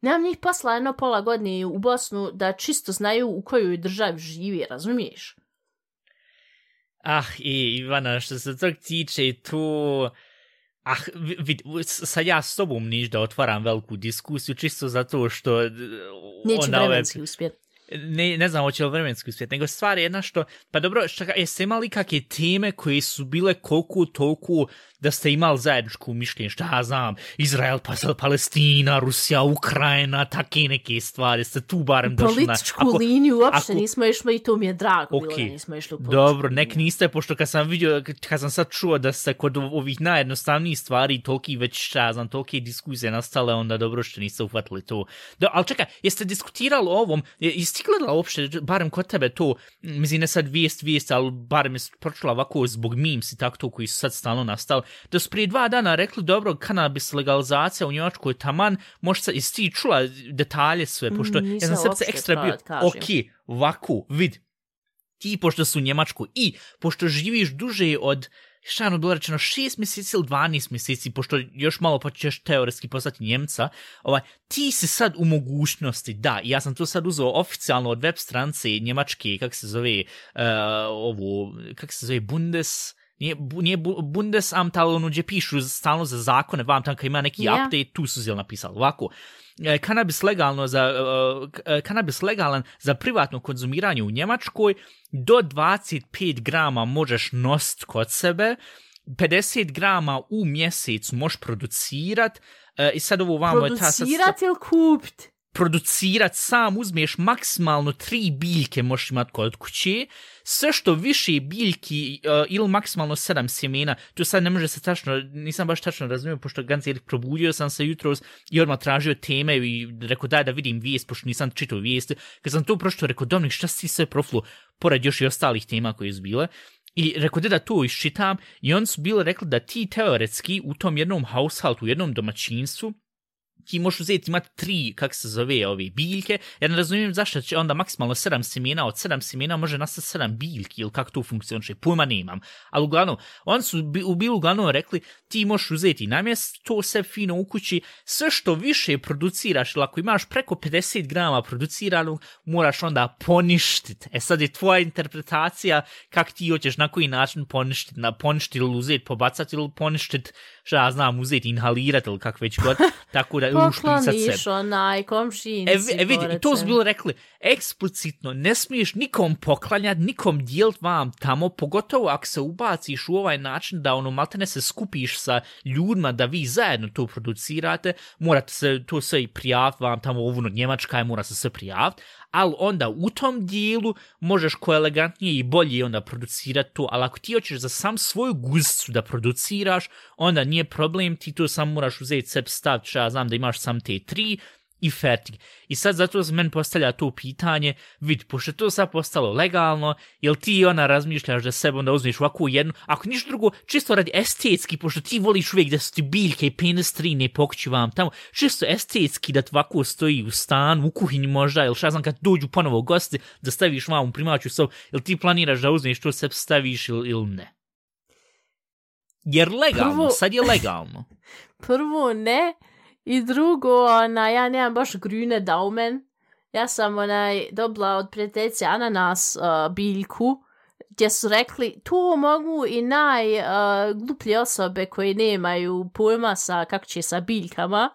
nemam njih posla jedno pola godine u Bosnu da čisto znaju u kojoj državi živi, razumiješ? Ah, i Ivana, što se tog tiče, to... Ah, vid, sad ja s tobom niš da otvaram veliku diskusiju, čisto zato što... Neće vremenski ove... uspjet. Ne, ne znam, hoće li vremenski uspjet, nego stvar je jedna što... Pa dobro, šta, jeste imali kakve teme koje su bile koliko toliko da ste imali zajedničku mišljenje, šta ja znam, Izrael, Palestina, Rusija, Ukrajina, take neke stvari, ste tu barem došli na... Političku ako, liniju uopšte ako, nismo išli i to mi je drago okay, bilo da nismo išli u političku dobro, nek niste, pošto kad sam vidio, kad sam sad čuo da se kod ovih najjednostavnijih stvari toliki već, šta ja znam, tolike diskusije nastale, onda dobro što niste uhvatili to. Do, ali čekaj, jeste diskutirali o ovom, jeste gledala uopšte, barem kod tebe to, mislim ne sad vijest, vijest, ali barem je pročula ovako zbog memes i tako to koji su sad stalno nastali, da su prije dva dana rekli, dobro, kanabis legalizacija u Njemačkoj taman, možda jesi ti čula detalje sve, pošto mm, ja sam srce ekstra bio, ok, ovako, vid, ti pošto su u Njemačkoj i pošto živiš duže od, šta ono bilo rečeno, šest mjeseci ili dvanaest mjeseci, pošto još malo pa ćeš teoretski postati Njemca, ovaj, ti si sad u mogućnosti, da, ja sam to sad uzeo oficijalno od web strance Njemačke, kak se zove, uh, ovo, kak se zove, Bundes... nije, nije Bundesamt, ali ono gdje pišu stalno za zakone, vam tam kad ima neki yeah. update, tu su zelo napisali ovako. Kanabis legalno za, uh, kanabis legalan za privatno konzumiranje u Njemačkoj, do dvadeset pet grama možeš nositi kod sebe, pedeset grama u mjesec možeš producirat, uh, i sad ovo vamo je ta... Producirat ili kupit? Producirat sam, uzmeš maksimalno tri biljke možeš imati kod kuće, sve što više biljki uh, ili maksimalno sedam sjemena, to sad ne može se tačno, nisam baš tačno razumio, pošto Ganzi probudio sam se jutros i odmah tražio teme i rekao daj da vidim vijest, pošto nisam čitao vijesti. Kad sam to pročito, rekao Dominik, šta si sve proflu, pored još i ostalih tema koje su bile. I rekao da to iščitam i oni su bili rekli da ti teoretski u tom jednom householdu, u jednom domaćinstvu, ti možeš uzeti imati tri, kako se zove, ove biljke. Ja ne razumijem zašto će onda maksimalno sedam sjemena, od sedam sjemena može nastati sedam biljki, ili kako to funkcioniše, pojma nemam. Ali uglavnom, oni su u bilu uglavnom rekli, ti možeš uzeti namjest, to sve fino u kući, sve što više produciraš, ili ako imaš preko pedeset grama produciranog, moraš onda poništiti. E sad je tvoja interpretacija kako ti hoćeš na koji način poništiti, na poništiti ili uzeti, pobacati ili poništiti, što ja znam, uzeti, inhalirati ili kako već god, tako da pokloniš onaj komšinici. E, e vidi, to su bilo rekli, eksplicitno ne smiješ nikom poklanjati, nikom dijelit vam tamo, pogotovo ako se ubaciš u ovaj način da ono maltene se skupiš sa ljudima da vi zajedno to producirate, morate se to sve i prijaviti vam tamo, ovo Njemačka je, mora se sve prijaviti, ali onda u tom dijelu možeš ko elegantnije i bolje onda producirati to, ali ako ti hoćeš za sam svoju guzicu da produciraš, onda nije problem, ti to sam moraš uzeti sebi staviti, što ja znam da imaš sam te tri i fertig. I sad zato se meni postavlja to pitanje, vidi, pošto je to sad postalo legalno, jel ti ona razmišljaš da sebe onda uzmeš ovakvu jednu, ako ništa drugo, čisto radi estetski, pošto ti voliš uvijek da su ti biljke i penestrine pokući vam tamo, čisto estetski da ovako stoji u stanu, u kuhinji možda, ili šta znam kad dođu ponovo gosti, da staviš vam u primaću sobu, jel ti planiraš da uzmeš to sebe staviš ili, ili ne? Jer legalno, prvo, sad je legalno. Prvo ne, i drugo, ona, ja nemam baš grüne Daumen. Ja sam onaj, dobila od prijateljice ananas uh, biljku, gdje su rekli, to mogu i najgluplje uh, osobe koje nemaju pojma sa, kako će sa biljkama,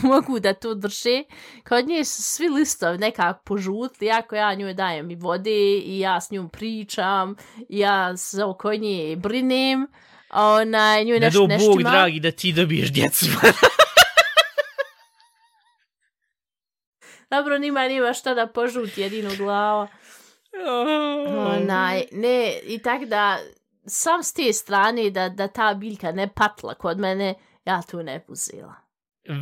mogu da to drže. Kod nje su svi listovi nekako požutli, jako ja njoj dajem i vode, i ja s njom pričam, i ja se oko nje brinem, a ona njoj nešto neštima. Ne do Bog, dragi, da ti dobiješ djecu. Dobro, nima, nima šta da požuti jedinu glava. Onaj, ne, i tak da, sam s te strane da, da ta biljka ne patla kod mene, ja tu ne uzela.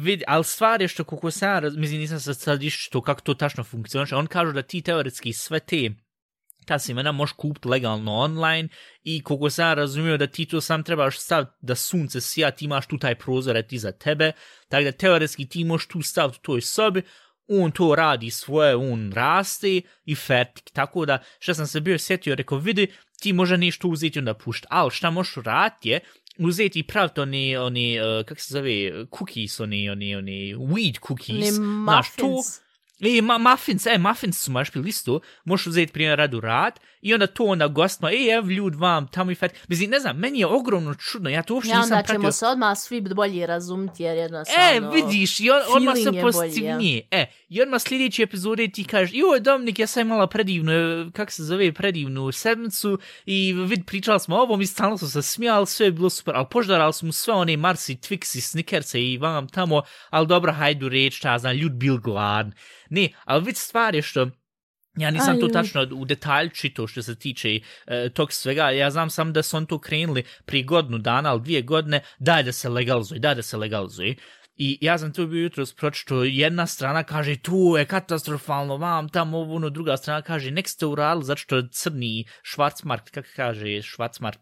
Vid, ali stvar je što kako sam, mislim, nisam se sad iščito kako to tačno funkcioniše, on kažu da ti teoretski sve te ta sjemena možeš kupiti legalno online i koliko sam razumio da ti to sam trebaš staviti da sunce sija, ti imaš tu taj prozor iza tebe, tako da teoretski ti možeš tu staviti u toj sobi, on to radi svoje, on raste i fertik. Tako da, što sam se bio sjetio, rekao, vidi, ti može nešto uzeti onda pušti. Ali šta možeš raditi je, uzeti i praviti one, one, uh, kako se zove, cookies, one, one, one, weed cookies. Ne, muffins. E, ma, muffins, e, muffins su možeš pili isto, možeš uzeti primjer radu rad i onda to onda gostima, e, ev ljud vam, tamo i fet. Mislim, ne znam, meni je ogromno čudno, ja to uopšte ja, nisam pratio. Ja, onda ćemo se odmah svi bolje razumiti, jer jednostavno... E, vidiš, i on, odmah se pozitivnije. Ja. E, i odmah sljedeće epizode ti kažeš, joj, Dominik, ja sam imala predivnu, kako se zove, predivnu sedmicu i vid, pričali smo o ovom i stalno su se smijali, sve je bilo super, ali poždarali smo sve one Marsi, Twixi, Snickerse i vam tamo, ali dobro, hajdu reći, šta znam, ljud bil gladan. Ne, ali vidi stvar je što ja nisam Aj, to tačno u detalj čito što se tiče uh, tog svega, ja znam sam da su on to krenuli prije godinu dana, ali dvije godine, daj da se legalizuje, daj da se legalizuje. I ja sam tu bio jutros pročito, jedna strana kaže tu je katastrofalno, vam tamo ono, druga strana kaže nek ste uradili zato što crni Schwarzmarkt, kako kaže Schwarzmarkt,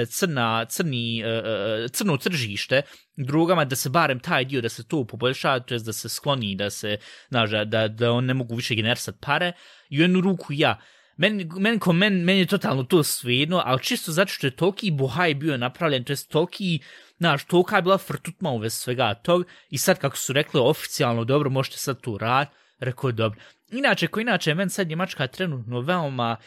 crna, crni, crno tržište drugama, da se barem taj dio da se to poboljša, to je da se skloni, da se, znaš, da, da on ne mogu više generisati pare. I u jednu ruku ja, Meni, men, men, meni je totalno to svejedno, ali čisto zato što je toliki bohaj bio napravljen, to je toliki, znaš, tolika je bila frtutma u vez svega tog, i sad kako su rekli oficijalno, dobro, možete sad tu rad, rekao dobro. Inače, ko inače, meni sad Njemačka trenutno veoma,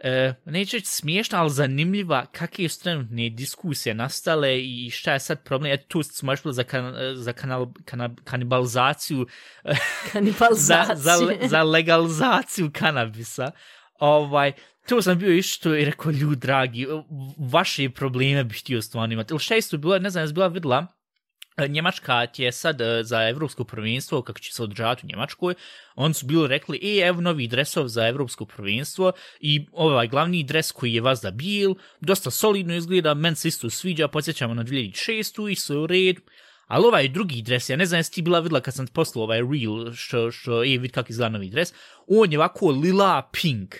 E, neće reći smiješna, ali zanimljiva kakve su trenutne diskusije nastale i šta je sad problem. Eto, tu smo još bili za, kan, za kanal, kana, kanibalizaciju, kanibalizaciju. za, za, za legalizaciju kanabisa. Ovaj, tu sam bio išto i rekao, ljudi dragi, vaše probleme bih htio stvarno imati. Ili šta isto bilo, ne znam, je bila vidjela, Njemačka je sad za evropsko prvenstvo, kako će se održavati u Njemačkoj, oni su bili rekli, e, evo novi dresov za evropsko prvenstvo i ovaj glavni dres koji je vas da bil, dosta solidno izgleda, meni se isto sviđa, podsjećamo na dvije tisuće šestu i sve u redu. Ali ovaj drugi dres, ja ne znam jesi ti bila vidjela kad sam poslao ovaj reel, što, što e, vid kako izgleda novi dres, on je ovako lila pink.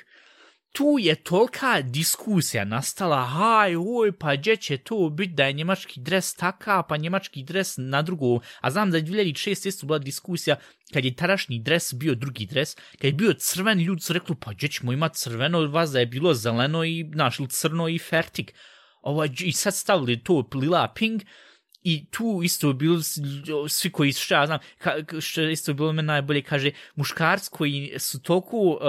Tu je tolika diskusija nastala, haj, oj, pa gdje će to biti da je njemački dres taka, pa njemački dres na drugo, a znam da je dvije tisuće šeste isto bila diskusija kad je tadašnji dres bio drugi dres, kad je bio crven, ljudi su rekli, pa gdje ćemo imati crveno, vas da je bilo zeleno i, znaš, crno i fertik. Ovo, i sad stavili to lila pink, i tu isto bilo svi koji što ja znam, što isto bilo me najbolje, kaže, muškarci koji su toliko uh,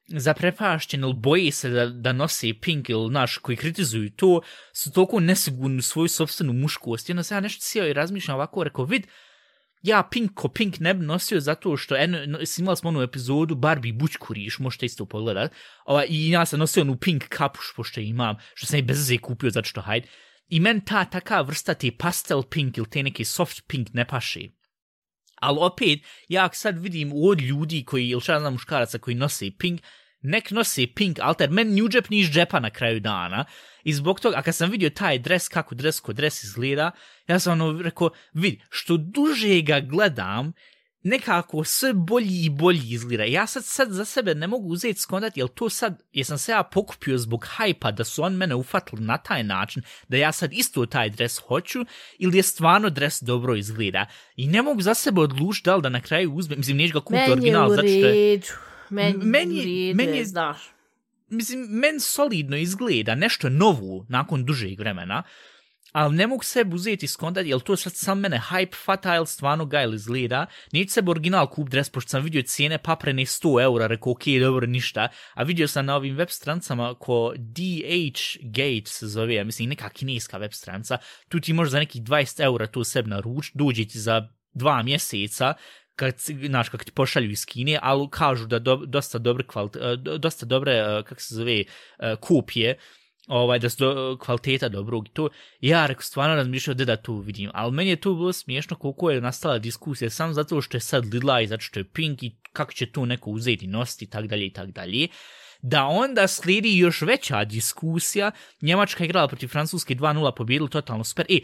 zaprepašćeni ili boje se da, da nose pink ili naš koji kritizuju to, su toliko nesigurni u svoju sobstvenu muškost. I onda se ja nešto sjeo i razmišljam ovako, rekao, vid, ja pink ko pink ne bi nosio zato što eno, imali smo onu epizodu Barbie bućkuriš, možete isto pogledat, ovaj, i ja sam nosio onu pink kapuš pošto imam, što sam i bez veze kupio zato što hajde. I meni ta taka vrsta te pastel pink ili te neke soft pink ne paše. Ali opet, ja sad vidim od ljudi koji, ili šta znam muškaraca koji nose pink, nek nose pink, ali ter meni ni u džep ni iz džepa na kraju dana. I zbog toga, a kad sam vidio taj dres, kako dres ko dres izgleda, ja sam ono rekao, vidi, što duže ga gledam, nekako sve bolji i bolji izgleda. Ja sad, sad za sebe ne mogu uzeti skontati, jel to sad, jesam se ja pokupio zbog hajpa da su on mene ufatili na taj način, da ja sad isto taj dres hoću, ili je stvarno dres dobro izgleda. I ne mogu za sebe odlučiti da li da na kraju uzmem, mislim, neću ga kupiti original, zato što je... Meni, meni, meni je, znaš. Mislim, meni solidno izgleda, nešto novo nakon dužeg vremena, ali ne mogu sebi uzeti skontati, jel to sad sam mene hype fata, jel stvarno ga ili izgleda. Neću sebi original kup dres, pošto sam vidio cijene paprene sto eura, rekao, ok, dobro, ništa. A vidio sam na ovim web strancama ko D H Gate se zove, ja mislim, neka kineska web stranca, tu ti možeš za nekih dvadeset eura to sebi naručiti, dođe ti za dva mjeseca, kad, znaš, kako ti pošalju iz Kine, ali kažu da do, dosta dobre, kvalit, dosta dobre, kako se zove, kopije, ovaj, da su do, kvaliteta dobrog i to. Ja rekao, stvarno razmišljao da da to vidim, ali meni je to bilo smiješno koliko je nastala diskusija, sam zato što je sad lila i zato što je pink i kako će to neko uzeti i nositi i tak dalje i tak dalje. Da onda slijedi još veća diskusija, Njemačka je igrala protiv Francuske dva nula, pobjedili totalno super. E,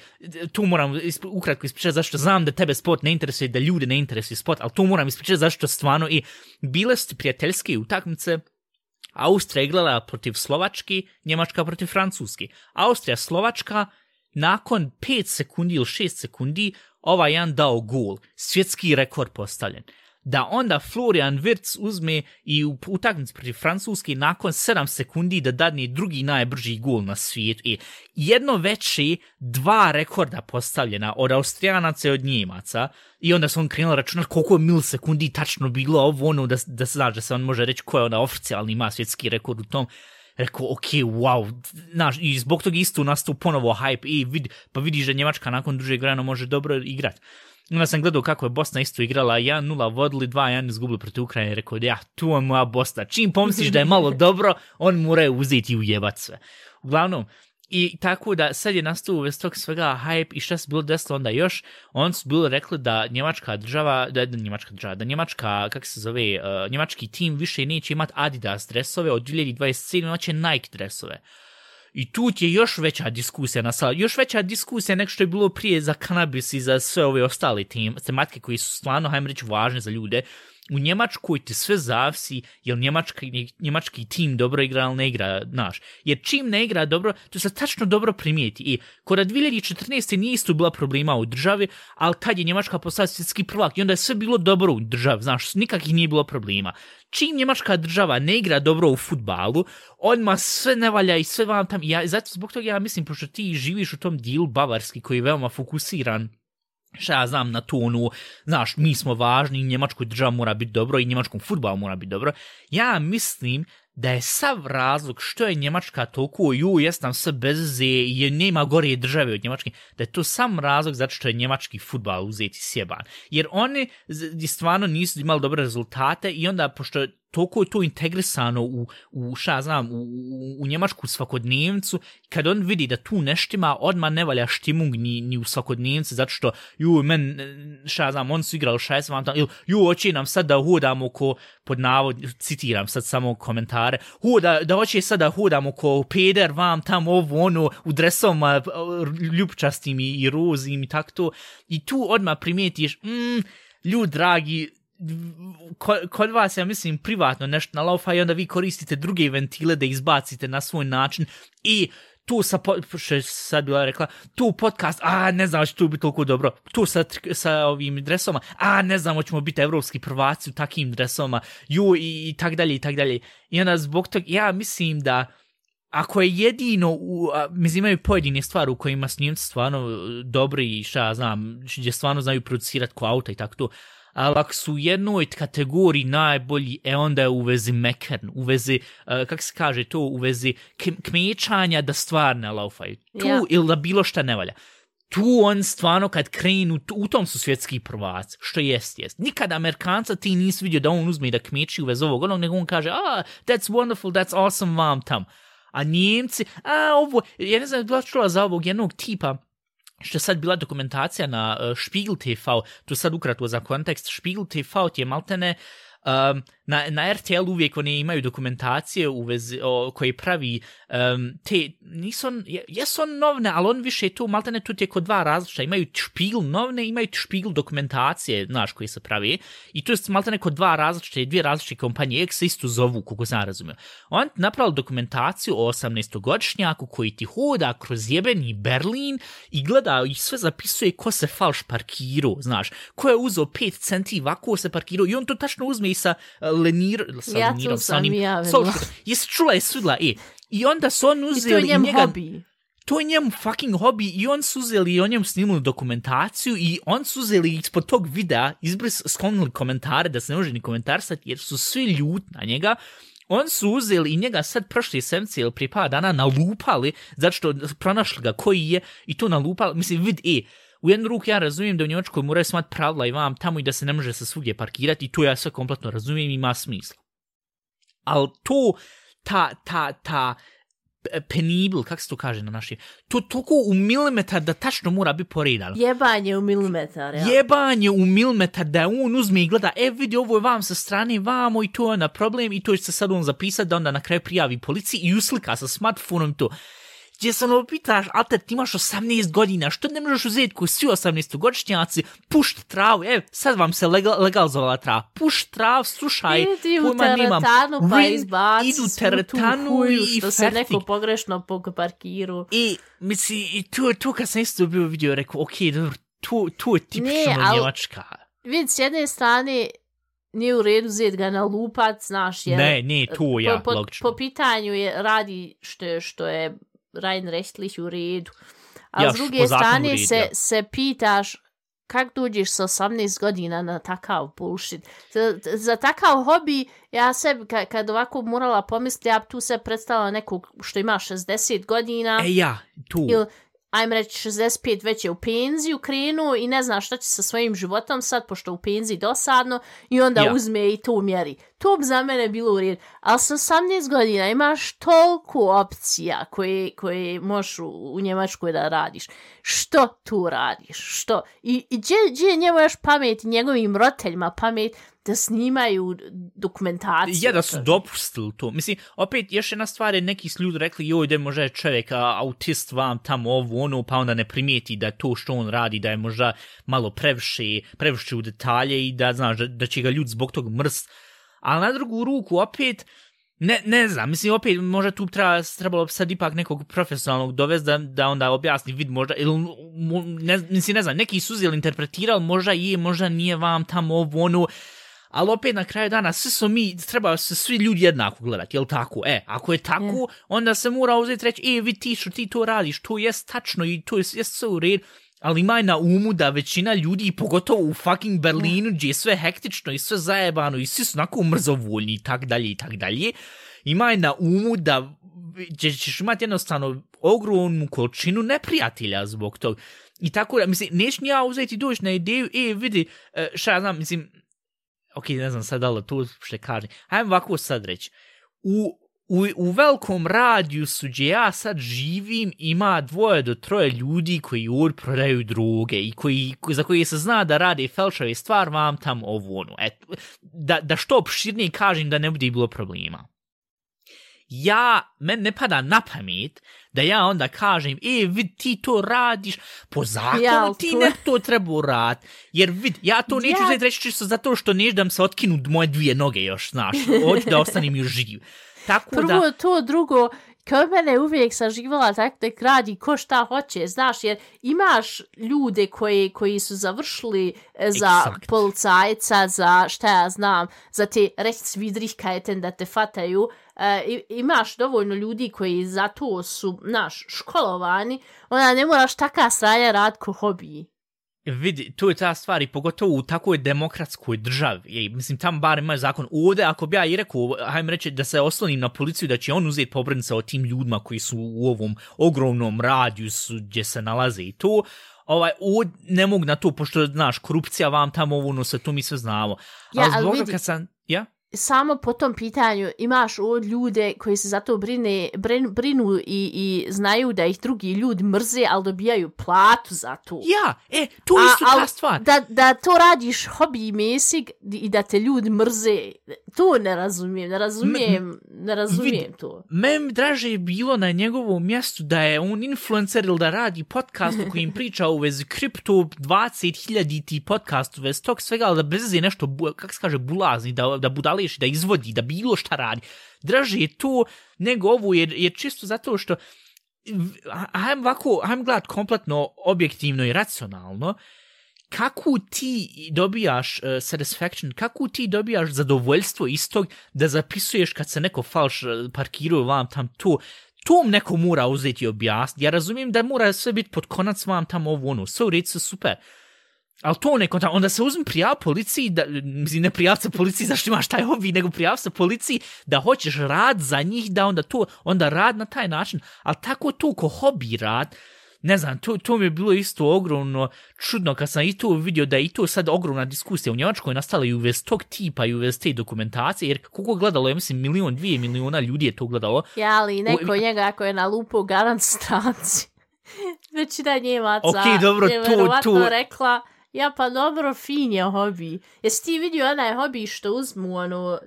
tu moram isp- ukratko ispričati zašto znam da tebe sport ne interesuje, da ljude ne interesuje sport, ali tu moram ispričati zašto stvarno i bile su prijateljske utakmice. Austrija igrala protiv Slovačke, Njemačka protiv Francuske. Austrija, Slovačka, nakon pet sekundi ili šest sekundi, ovaj jedan dao gol. Svjetski rekord postavljen. Da onda Florian Wirtz uzme i u utakmici protiv Francuske nakon sedam sekundi da dadne drugi najbrži gol na svijetu. I jedno veće dva rekorda postavljena od Austrijanaca i od Njemaca. I onda su on krenuli računati koliko je milisekundi tačno bilo ovo ono da, da se znaš da se on može reći ko je ona oficijalni ima svjetski rekord u tom. Rekao, ok, wow, znaš, i zbog toga isto nastao ponovo hype. I vid, pa vidiš da Njemačka nakon dužeg vremena može dobro igrati. Onda sam gledao kako je Bosna isto igrala, jedan nula vodili, dva jedan izgubili protiv Ukrajine i rekao, ja, tu je moja Bosna. Čim pomisliš da je malo dobro, on mora uzeti i ujebat sve. Uglavnom, i tako da sad je nastao uvijek tog svega hype i šta se bilo desilo onda još, on su bili rekli da njemačka država, da, da njemačka država, da njemačka, kako se zove, uh, njemački tim više neće imati Adidas dresove, od dvije tisuće dvadeset sedme imat će Nike dresove. I tu je još veća diskusija nastala, još veća diskusija nek što je bilo prije za kanabis i za sve ove ostale tem, tematike koji su stvarno, hajmo reći, važne za ljude. U Njemačkoj ti sve zavisi, jel njemački, njemački tim dobro igra ili ne igra, znaš. Jer čim ne igra dobro, to se tačno dobro primijeti. I kod dvije tisuće četrnaeste nije isto bila problema u državi, ali tad je Njemačka postala svjetski prvak i onda je sve bilo dobro u državi, znaš, nikakvih nije bilo problema. Čim njemačka država ne igra dobro u fudbalu, odmah sve ne valja i sve vam tam. Ja, zato zbog toga ja mislim, pošto ti živiš u tom dijelu Bavarski koji je veoma fokusiran, šta ja znam na tonu, znaš, mi smo važni, njemačkoj država mora biti dobro i njemačkom fudbalu mora biti dobro. Ja mislim da je sav razlog što je Njemačka toliko, ju, jes nam sve bezze i nema gore države od Njemačke, da je to sam razlog zato što je njemački fudbal uzeti sjeban. Jer oni stvarno nisu imali dobre rezultate i onda, pošto toliko je to integrisano u, u šta znam, u, u, u njemačku svakodnevnicu, kad on vidi da tu neštima, odmah ne valja štimung ni, ni u svakodnevnici, zato što, ju, men, šta znam, on su igrali šest vam tam, ili, ju, hoće nam sad da hodamo ko, pod navod, citiram sad samo komentare, hu, da, da hoće sad da hodamo ko peder vam tam, ovo, ono, u dresovima ljubčastim i, i rozim i tako to, i tu odmah primijetiš, mm, ljud dragi, kod vas, ja mislim, privatno nešto nalaufa i onda vi koristite druge ventile da izbacite na svoj način i tu sa, što je sad bila rekla, tu podcast, a ne znam će tu biti toliko dobro, tu sa, sa ovim dresoma, a ne znam ćemo biti evropski prvaci u takim dresoma, ju i, i tak dalje i tak dalje. I onda zbog toga, ja mislim da ako je jedino, u, a, mislim imaju pojedine stvari u kojima su Njemci stvarno dobri i šta znam, gdje stvarno znaju producirati ko auta i tako to, ali ako su u jednoj kategoriji najbolji, e onda je u vezi mekern, u vezi, uh, kako se kaže to, u vezi kmećanja da stvar ne laufaju. Tu yeah. ili da bilo šta ne valja. Tu on stvarno kad krenu, tu, u tom su svjetski prvaci, što jest, jest. Nikada Amerikanca ti nisi vidio da on uzme i da kmeći u vezi ovog, onog, nego on kaže, ah, that's wonderful, that's awesome, vam tam. A Njemci, a ovo, ja ne znam, bila čula za ovog jednog tipa, što je sad bila dokumentacija na uh, Spiegel te ve, to sad ukratko za kontekst, Spiegel te ve ti je maltene, um, na, na er te el uvijek oni imaju dokumentacije u vezi, o, koje pravi um, te, nisu on, jesu on novne, ali on više tu, maltene tu je kod dva različita, imaju Spiegel novne, imaju Spiegel dokumentacije, znaš, koje se pravi, i to je maltene kod dva različite, dvije različite kompanije, ek se isto zovu, kako sam razumio. On napravili dokumentaciju o osamnaestogodišnjaku koji ti hoda kroz jebeni Berlin i gleda i sve zapisuje ko se falš parkirao, znaš, ko je uzeo pet centi, ovako se parkirao i on to tačno uzme i sa Lenir, sa ja Lenirom, sa onim, ja jesi čula, jesi sudla, e, i onda su on uzeli... I to je njem njega, hobi. To je njem fucking hobi i on su uzeli i on njem snimili dokumentaciju i on su uzeli ispod tog videa, izbris sklonili komentare da se ne može ni komentarsati jer su svi ljuti na njega. On su uzeli i njega sad prošli sedmice ili prije par dana nalupali zato što pronašli ga koji je i to nalupali, mislim vid, e, u jednu ruku ja razumijem da u Njemačkoj moraju smat pravila i vam tamo i da se ne može se svugdje parkirati i to ja sve kompletno razumijem i ima smisla. Ali to, ta, ta, ta penibl, kako se to kaže na naši, to toliko u milimetar da tačno mora biti poredano. Jebanje u milimetar, ja. Jebanje u milimetar da on uzme i gleda, e vidi ovo je vam sa strane vamo i to je na problem i to će se sad on zapisati da onda na kraju prijavi policiji i uslika sa smartfonom i to. Gdje se ono pitaš, alter, ti imaš osamnaest godina, što ne možeš uzeti koji svi osamnaestogodišnjaci, pušt travu, evo, sad vam se legal, legalizovala trava, pušt trav, slušaj, idi u teretanu pa izbaci idu teretanu i što se neko pogrešno po parkiru. I, misli, i tu, tu kad sam isto bio vidio, rekao, ok, dobro, tu, tu je tipično ne, Njemačka. Vidi, s jedne strane, nije u redu zet ga na lupac, znaš, jer... Ne, ne, tu ja, po, po, logično. Po pitanju je, radi što, što je rein rechtlich u redu. A ja, s druge strane red, se, ja. se pitaš kako dođeš sa osamnaest godina na takav bullshit. Za, za takav hobi, ja sebi, kad, kad ovako morala pomisliti, ja tu se predstavila nekog što ima šezdeset godina. E ja, tu. Ili, ajme reći, šezdeset pet već je u penziju krenuo i ne zna šta će sa svojim životom sad, pošto u penziji dosadno, i onda ja. uzme i to mjeri. To bi za mene bilo u redu. Ali sa osamnaest godina imaš toliko opcija koje, koje možeš u, u Njemačkoj da radiš. Što tu radiš? Što? I, i gdje, gdje je njemu još pamet i njegovim roditeljima pamet da snimaju dokumentaciju? Ja, da su dopustili to. Mislim, opet, još jedna stvar je, neki su ljudi rekli, joj, da je možda čovjek a, autist vam tamo ovo, ono, pa onda ne primijeti da to što on radi, da je možda malo previše, previše u detalje i da, znaš, da, da će ga ljudi zbog tog mrst. Ali na drugu ruku, opet, ne, ne znam, mislim, opet, možda tu treba, trebalo sad ipak nekog profesionalnog dovesti da, da onda objasni vid možda, ili, ne, mislim, ne znam, neki su uzeli, interpretirali, možda je, možda nije vam tamo ovo, ono, ali opet na kraju dana, svi su mi, treba se svi ljudi jednako gledati, jel tako? E, ako je tako, yeah. onda se mora uzeti reći, e, vidi ti što ti to radiš, to jest tačno i to jest, jest sve u redu, ali imaj na umu da većina ljudi, pogotovo u fucking Berlinu, gdje je sve hektično i sve zajebano i svi su onako mrzovoljni i tak dalje i tak dalje, imaj na umu da ćeš imati jednostavno ogromnu količinu neprijatelja zbog toga. I tako da, mislim, neću ja uzeti doći na ideju, e, vidi, šta ja znam, mislim, ok, ne znam sad da li to što kažem, hajmo ovako sad reći, u, u, u velikom radijusu gdje ja sad živim ima dvoje do troje ljudi koji ovdje prodaju droge i koji, za koje se zna da rade felšave stvar vam tam ovo ono. Et, da, da što opširnije kažem da ne bude bilo problema. Ja, men ne pada na pamet da ja onda kažem, e, vid, ti to radiš, po zakonu ja, ti to... ne to treba raditi, jer vid, ja to neću ja... reći čisto zato što neću da mi se otkinu moje dvije noge još, znaš, hoću da ostanem još živ. Tako Prvo da... to, drugo, kao mene uvijek sam živala tako da radi ko šta hoće, znaš, jer imaš ljude koji, koji su završili za Exakt. policajca, za šta ja znam, za te rechtsvidrigkeiten da te fataju, e, imaš dovoljno ljudi koji za to su, znaš, školovani, onda ne moraš taka sranja rad ko hobiji. Vidi, to je ta stvar i pogotovo u takvoj demokratskoj državi. Je, mislim, tamo bar ima zakon. Ovdje, ako bi ja i rekao, hajme reći da se oslonim na policiju, da će on uzeti pobrinuti o tim ljudima koji su u ovom ogromnom radijusu gdje se nalaze i to, ovaj, ovdje ne mogu na to, pošto, znaš, korupcija vam tamo ovo, no se to mi sve znamo. Ja, ali ali vidi, kad sam, ja? Samo po tom pitanju imaš od ljude koji se zato brine, brinu, brinu i, i znaju da ih drugi ljudi mrze, ali dobijaju platu za to. Ja, e, to je isto ta stvar. Da, da to radiš hobi mesig i da te ljudi mrze, to ne razumijem, ne razumijem, M- ne razumijem vid, to. Meni draže je bilo na njegovom mjestu da je on influencer ili da radi podcast u kojim priča u vezi kripto dvadeset hiljada podcast u vezi tog svega, ali da bez je nešto, kako se kaže, bulazni, da, da budali da izvodi, da bilo šta radi. Draže je to nego ovo, jer, jer čisto zato što hajmo ovako, hajmo gledat kompletno objektivno i racionalno, kako ti dobijaš uh, satisfaction, kako ti dobijaš zadovoljstvo istog da zapisuješ kad se neko falš parkiruje vam tam to, tom neko mora uzeti i objasniti. Ja razumijem da mora sve biti pod konac vam tam ovo ono, sve u reći super. Ali to neko, onda se uzmi prijav policiji, da, mislim ne prijav se policiji zašto imaš taj hobby, nego prijav se policiji da hoćeš rad za njih, da onda to, onda rad na taj način, ali tako to ko hobby rad, ne znam, to, to mi je bilo isto ogromno čudno kad sam i to vidio da je i to sad ogromna diskusija u Njemačkoj je nastala i u vez tog tipa i u vez te dokumentacije, jer koliko gledalo, ja mislim milion, dvije miliona ljudi je to gledalo. Ja, ali neko u, njega ako je na lupu garant stranci, većina Njemaca okay, dobro, je verovatno rekla, ja, pa dobro, fin je hobi. Jesi ti vidio onaj hobi što uzmu ono,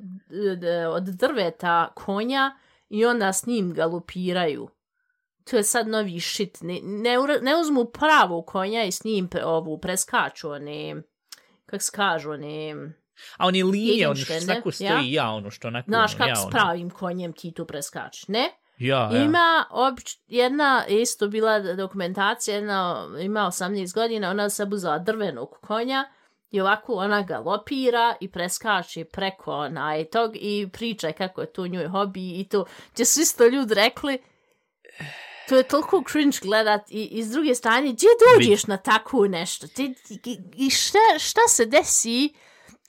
od drveta konja i onda s njim galopiraju? To je sad novi shit. Ne, ne, ne uzmu pravu konja i s njim pre, ovu preskaču, one, kak se kažu, one... A oni linije, ono što snako stoji, ja, ja ono što onako... Znaš kako ja, s pravim konjem ti tu preskačeš, ne? Ja, ja. Ima obič, jedna, isto bila dokumentacija, jedna ima osamnaest godina, ona se buzala drvenog konja i ovako ona galopira i preskače preko onaj tog i priča kako je to njoj hobi i to, gdje su isto ljudi rekli, to je toliko cringe gledat i, i s druge strane, gdje dođeš na tako nešto? Ti, i i šta, šta se desi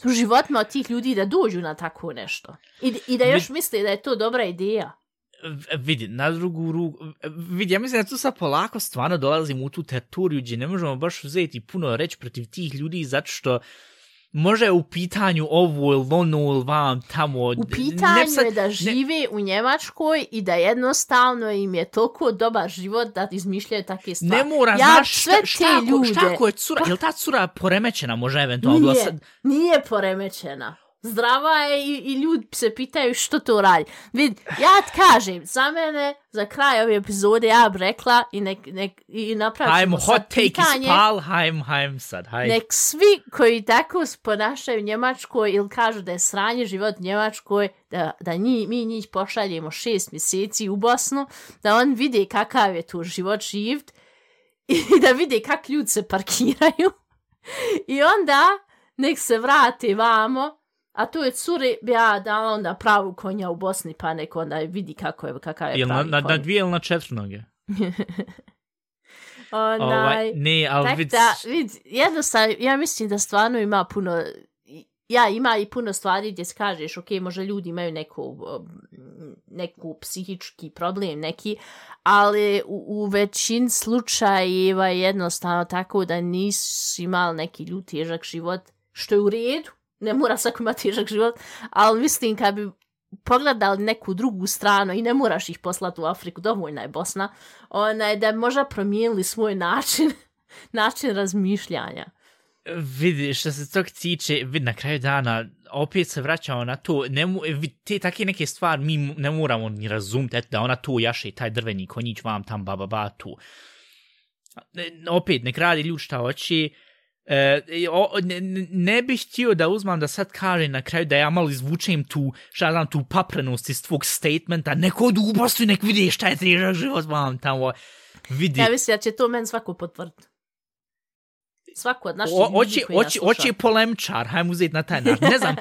u životima od tih ljudi da dođu na tako nešto? I, i da još misle da je to dobra ideja? Vidi, na drugu ruku, vidi, ja mislim da tu sad polako stvarno dolazimo u tu teritoriju gdje ne možemo baš uzeti puno reći protiv tih ljudi zato što može je u pitanju ovo ili ono ili vam tamo. U pitanju sad, je da žive ne, u Njemačkoj i da jednostavno im je toliko dobar život da izmišljaju takve stvari. Ne mora, ja, znaš šta, šta, ljude, šta ko je cura, pa, je li ta cura poremećena može eventualno? Nije, sad... nije poremećena. Zdrava je i, i ljudi se pitaju što to radi. Vid, ja ti kažem, za mene, za kraj ove epizode, ja bi rekla i, nek, nek, i napravit ćemo sad pitanje. Hajmo, hajmo, hajmo sad, hajmo. Nek svi koji tako ponašaju Njemačkoj ili kažu da je sranje život Njemačkoj, da, da nji, mi njih pošaljemo šest mjeseci u Bosnu, da on vide kakav je tu život živt i da vide kak ljudi se parkiraju. I onda nek se vrati vamo. A to je curi bi ja dala onda pravu konja u Bosni, pa nek onda vidi kako je, kakav je Jel pravi na, konj. Na dvije ili na četiri noge? Onaj, ovaj, ne, ali tak vid... da, vid, jednostavno, ja mislim da stvarno ima puno, ja, ima i puno stvari gdje kažeš, ok, možda ljudi imaju neku, neku psihički problem, neki, ali u, u većini slučajeva je jednostavno tako da nisu imali neki ljudi težak život, što je u redu, ne mora svako imati težak život, ali mislim kad bi pogledali neku drugu stranu i ne moraš ih poslati u Afriku, dovoljna je Bosna, onaj, da možda promijenili svoj način, način razmišljanja. Vidi, što se tog tiče, vidi, na kraju dana, opet se vraćamo na to, ne, te take neke stvari mi ne moramo ni razumjeti, eto da ona tu jaše taj drveni konjić vam tam ba ba ba tu. Opet, nek radi ljudi šta hoće. E, o, ne, ne bih htio da uzmam da sad kažem na kraju da ja malo izvučem tu, šta znam, tu paprenost iz tvog statementa, neko od ubostu i nek vidi šta je težak život vam tamo. Vidi. Ja mislim da će to meni svako potvrditi. Svako od naših ljudi koji nas sluša. Oći polemčar, hajmo uzeti na taj način. Ne znam,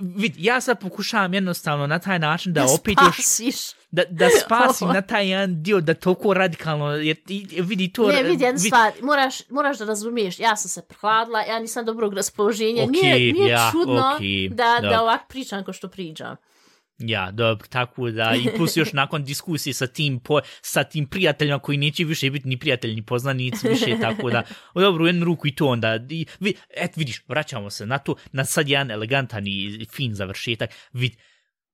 vid, ja sad pokušavam jednostavno na taj način da, da opet spasiš. još... Da, da spasim na taj jedan dio, da toliko radikalno, jer vidi to... Ne, vidi, jedna stvar, moraš, moraš da razumiješ, ja sam se prehladila, ja nisam dobrog raspoloženja, okay, nije, nije ja, čudno okay, da, da, da ovak pričam ko što pričam. Ja, dobro, tako da, i plus još nakon diskusije sa tim, po, sa tim prijateljima koji neće više biti ni prijatelji, ni poznanici više, tako da, dobro, u jednu ruku i to onda, i, vid, et vidiš, vraćamo se na to, na sad jedan elegantan i fin završetak, vid,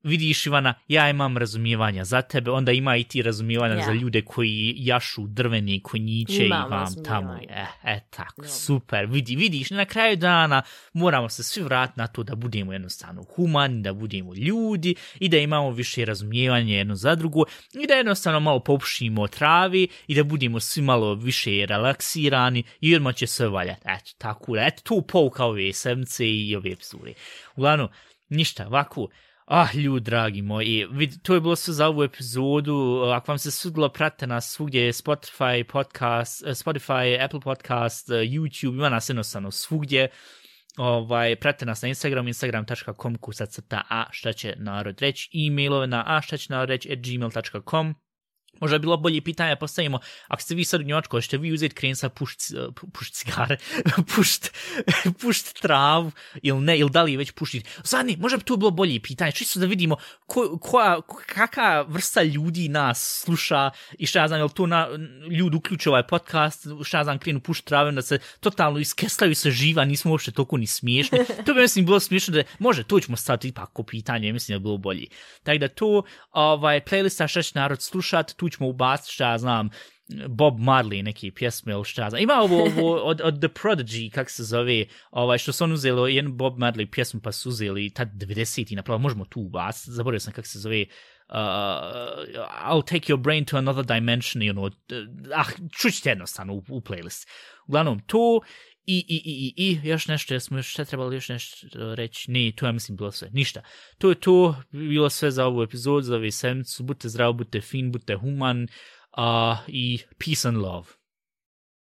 vidiš Ivana, ja imam razumijevanja za tebe, onda ima i ti razumijevanja ja. Za ljude koji jašu drvene konjiće i vam tamo. E, e tako, ja. Super. Vidi, vidiš, na kraju dana moramo se svi vratiti na to da budemo jednostavno humani, da budemo ljudi i da imamo više razumijevanja jedno za drugo i da jednostavno malo popušimo travi i da budemo svi malo više relaksirani i odmah će sve valjati. Eto, tako, eto, tu pouka ove sedmice i ove epizode. Uglavnom, ništa, ovako. Ah, ljudi, dragi moji, vid, to je bilo sve za ovu epizodu. Ako vam se svidilo, pratite nas svugdje, Spotify, podcast, Spotify, Apple Podcast, YouTube, ima nas jednostavno svugdje. Ovaj, pratite nas na Instagram, instagram dot com, kuca crta a šta će narod reći, e-mailove na a šta će narod reći at gmail dot com. Možda bilo bolje pitanje postavimo, ako ste vi sad u Njemačkoj, ćete vi uzeti krenca pušt, pušt cigare, pušt, pušt travu ili ne, ili da li je već pušiti. Zadnji, možda bi to bilo bolje pitanje, čisto da vidimo ko, koja, kakva vrsta ljudi nas sluša i šta ja znam, je li to na, ljudi uključuju ovaj podcast, šta ja znam, krenu pušt travu, da se totalno iskeslaju se živa, nismo uopšte toliko ni smiješni. To bi mislim bilo smiješno da, može, to ćemo staviti ipak ko pitanje, mislim da bi bilo bolje. Tako da to, ovaj, playlista šta će narod slušati, tu ćemo ubaciti šta ja znam, Bob Marley neke pjesme ili šta ja znam. Ima ovo, ovo od, od The Prodigy, kak se zove, ovaj, što su on uzeli jednu Bob Marley pjesmu pa su uzeli tad devedeseti napravo, možemo tu ubaciti, zaboravio sam kak se zove, uh, I'll take your brain to another dimension, you know, ah, čućite jednostavno u, u playlist. Uglavnom, to I, i, i, i, i, još nešto, jesmo još šta trebali još nešto reći? Ne, to ja mislim bilo sve. Ništa. To je to, bilo sve za ovu epizodu, za ovu sedmicu. Budite zdravi, budite fin, budite human uh, i peace and love.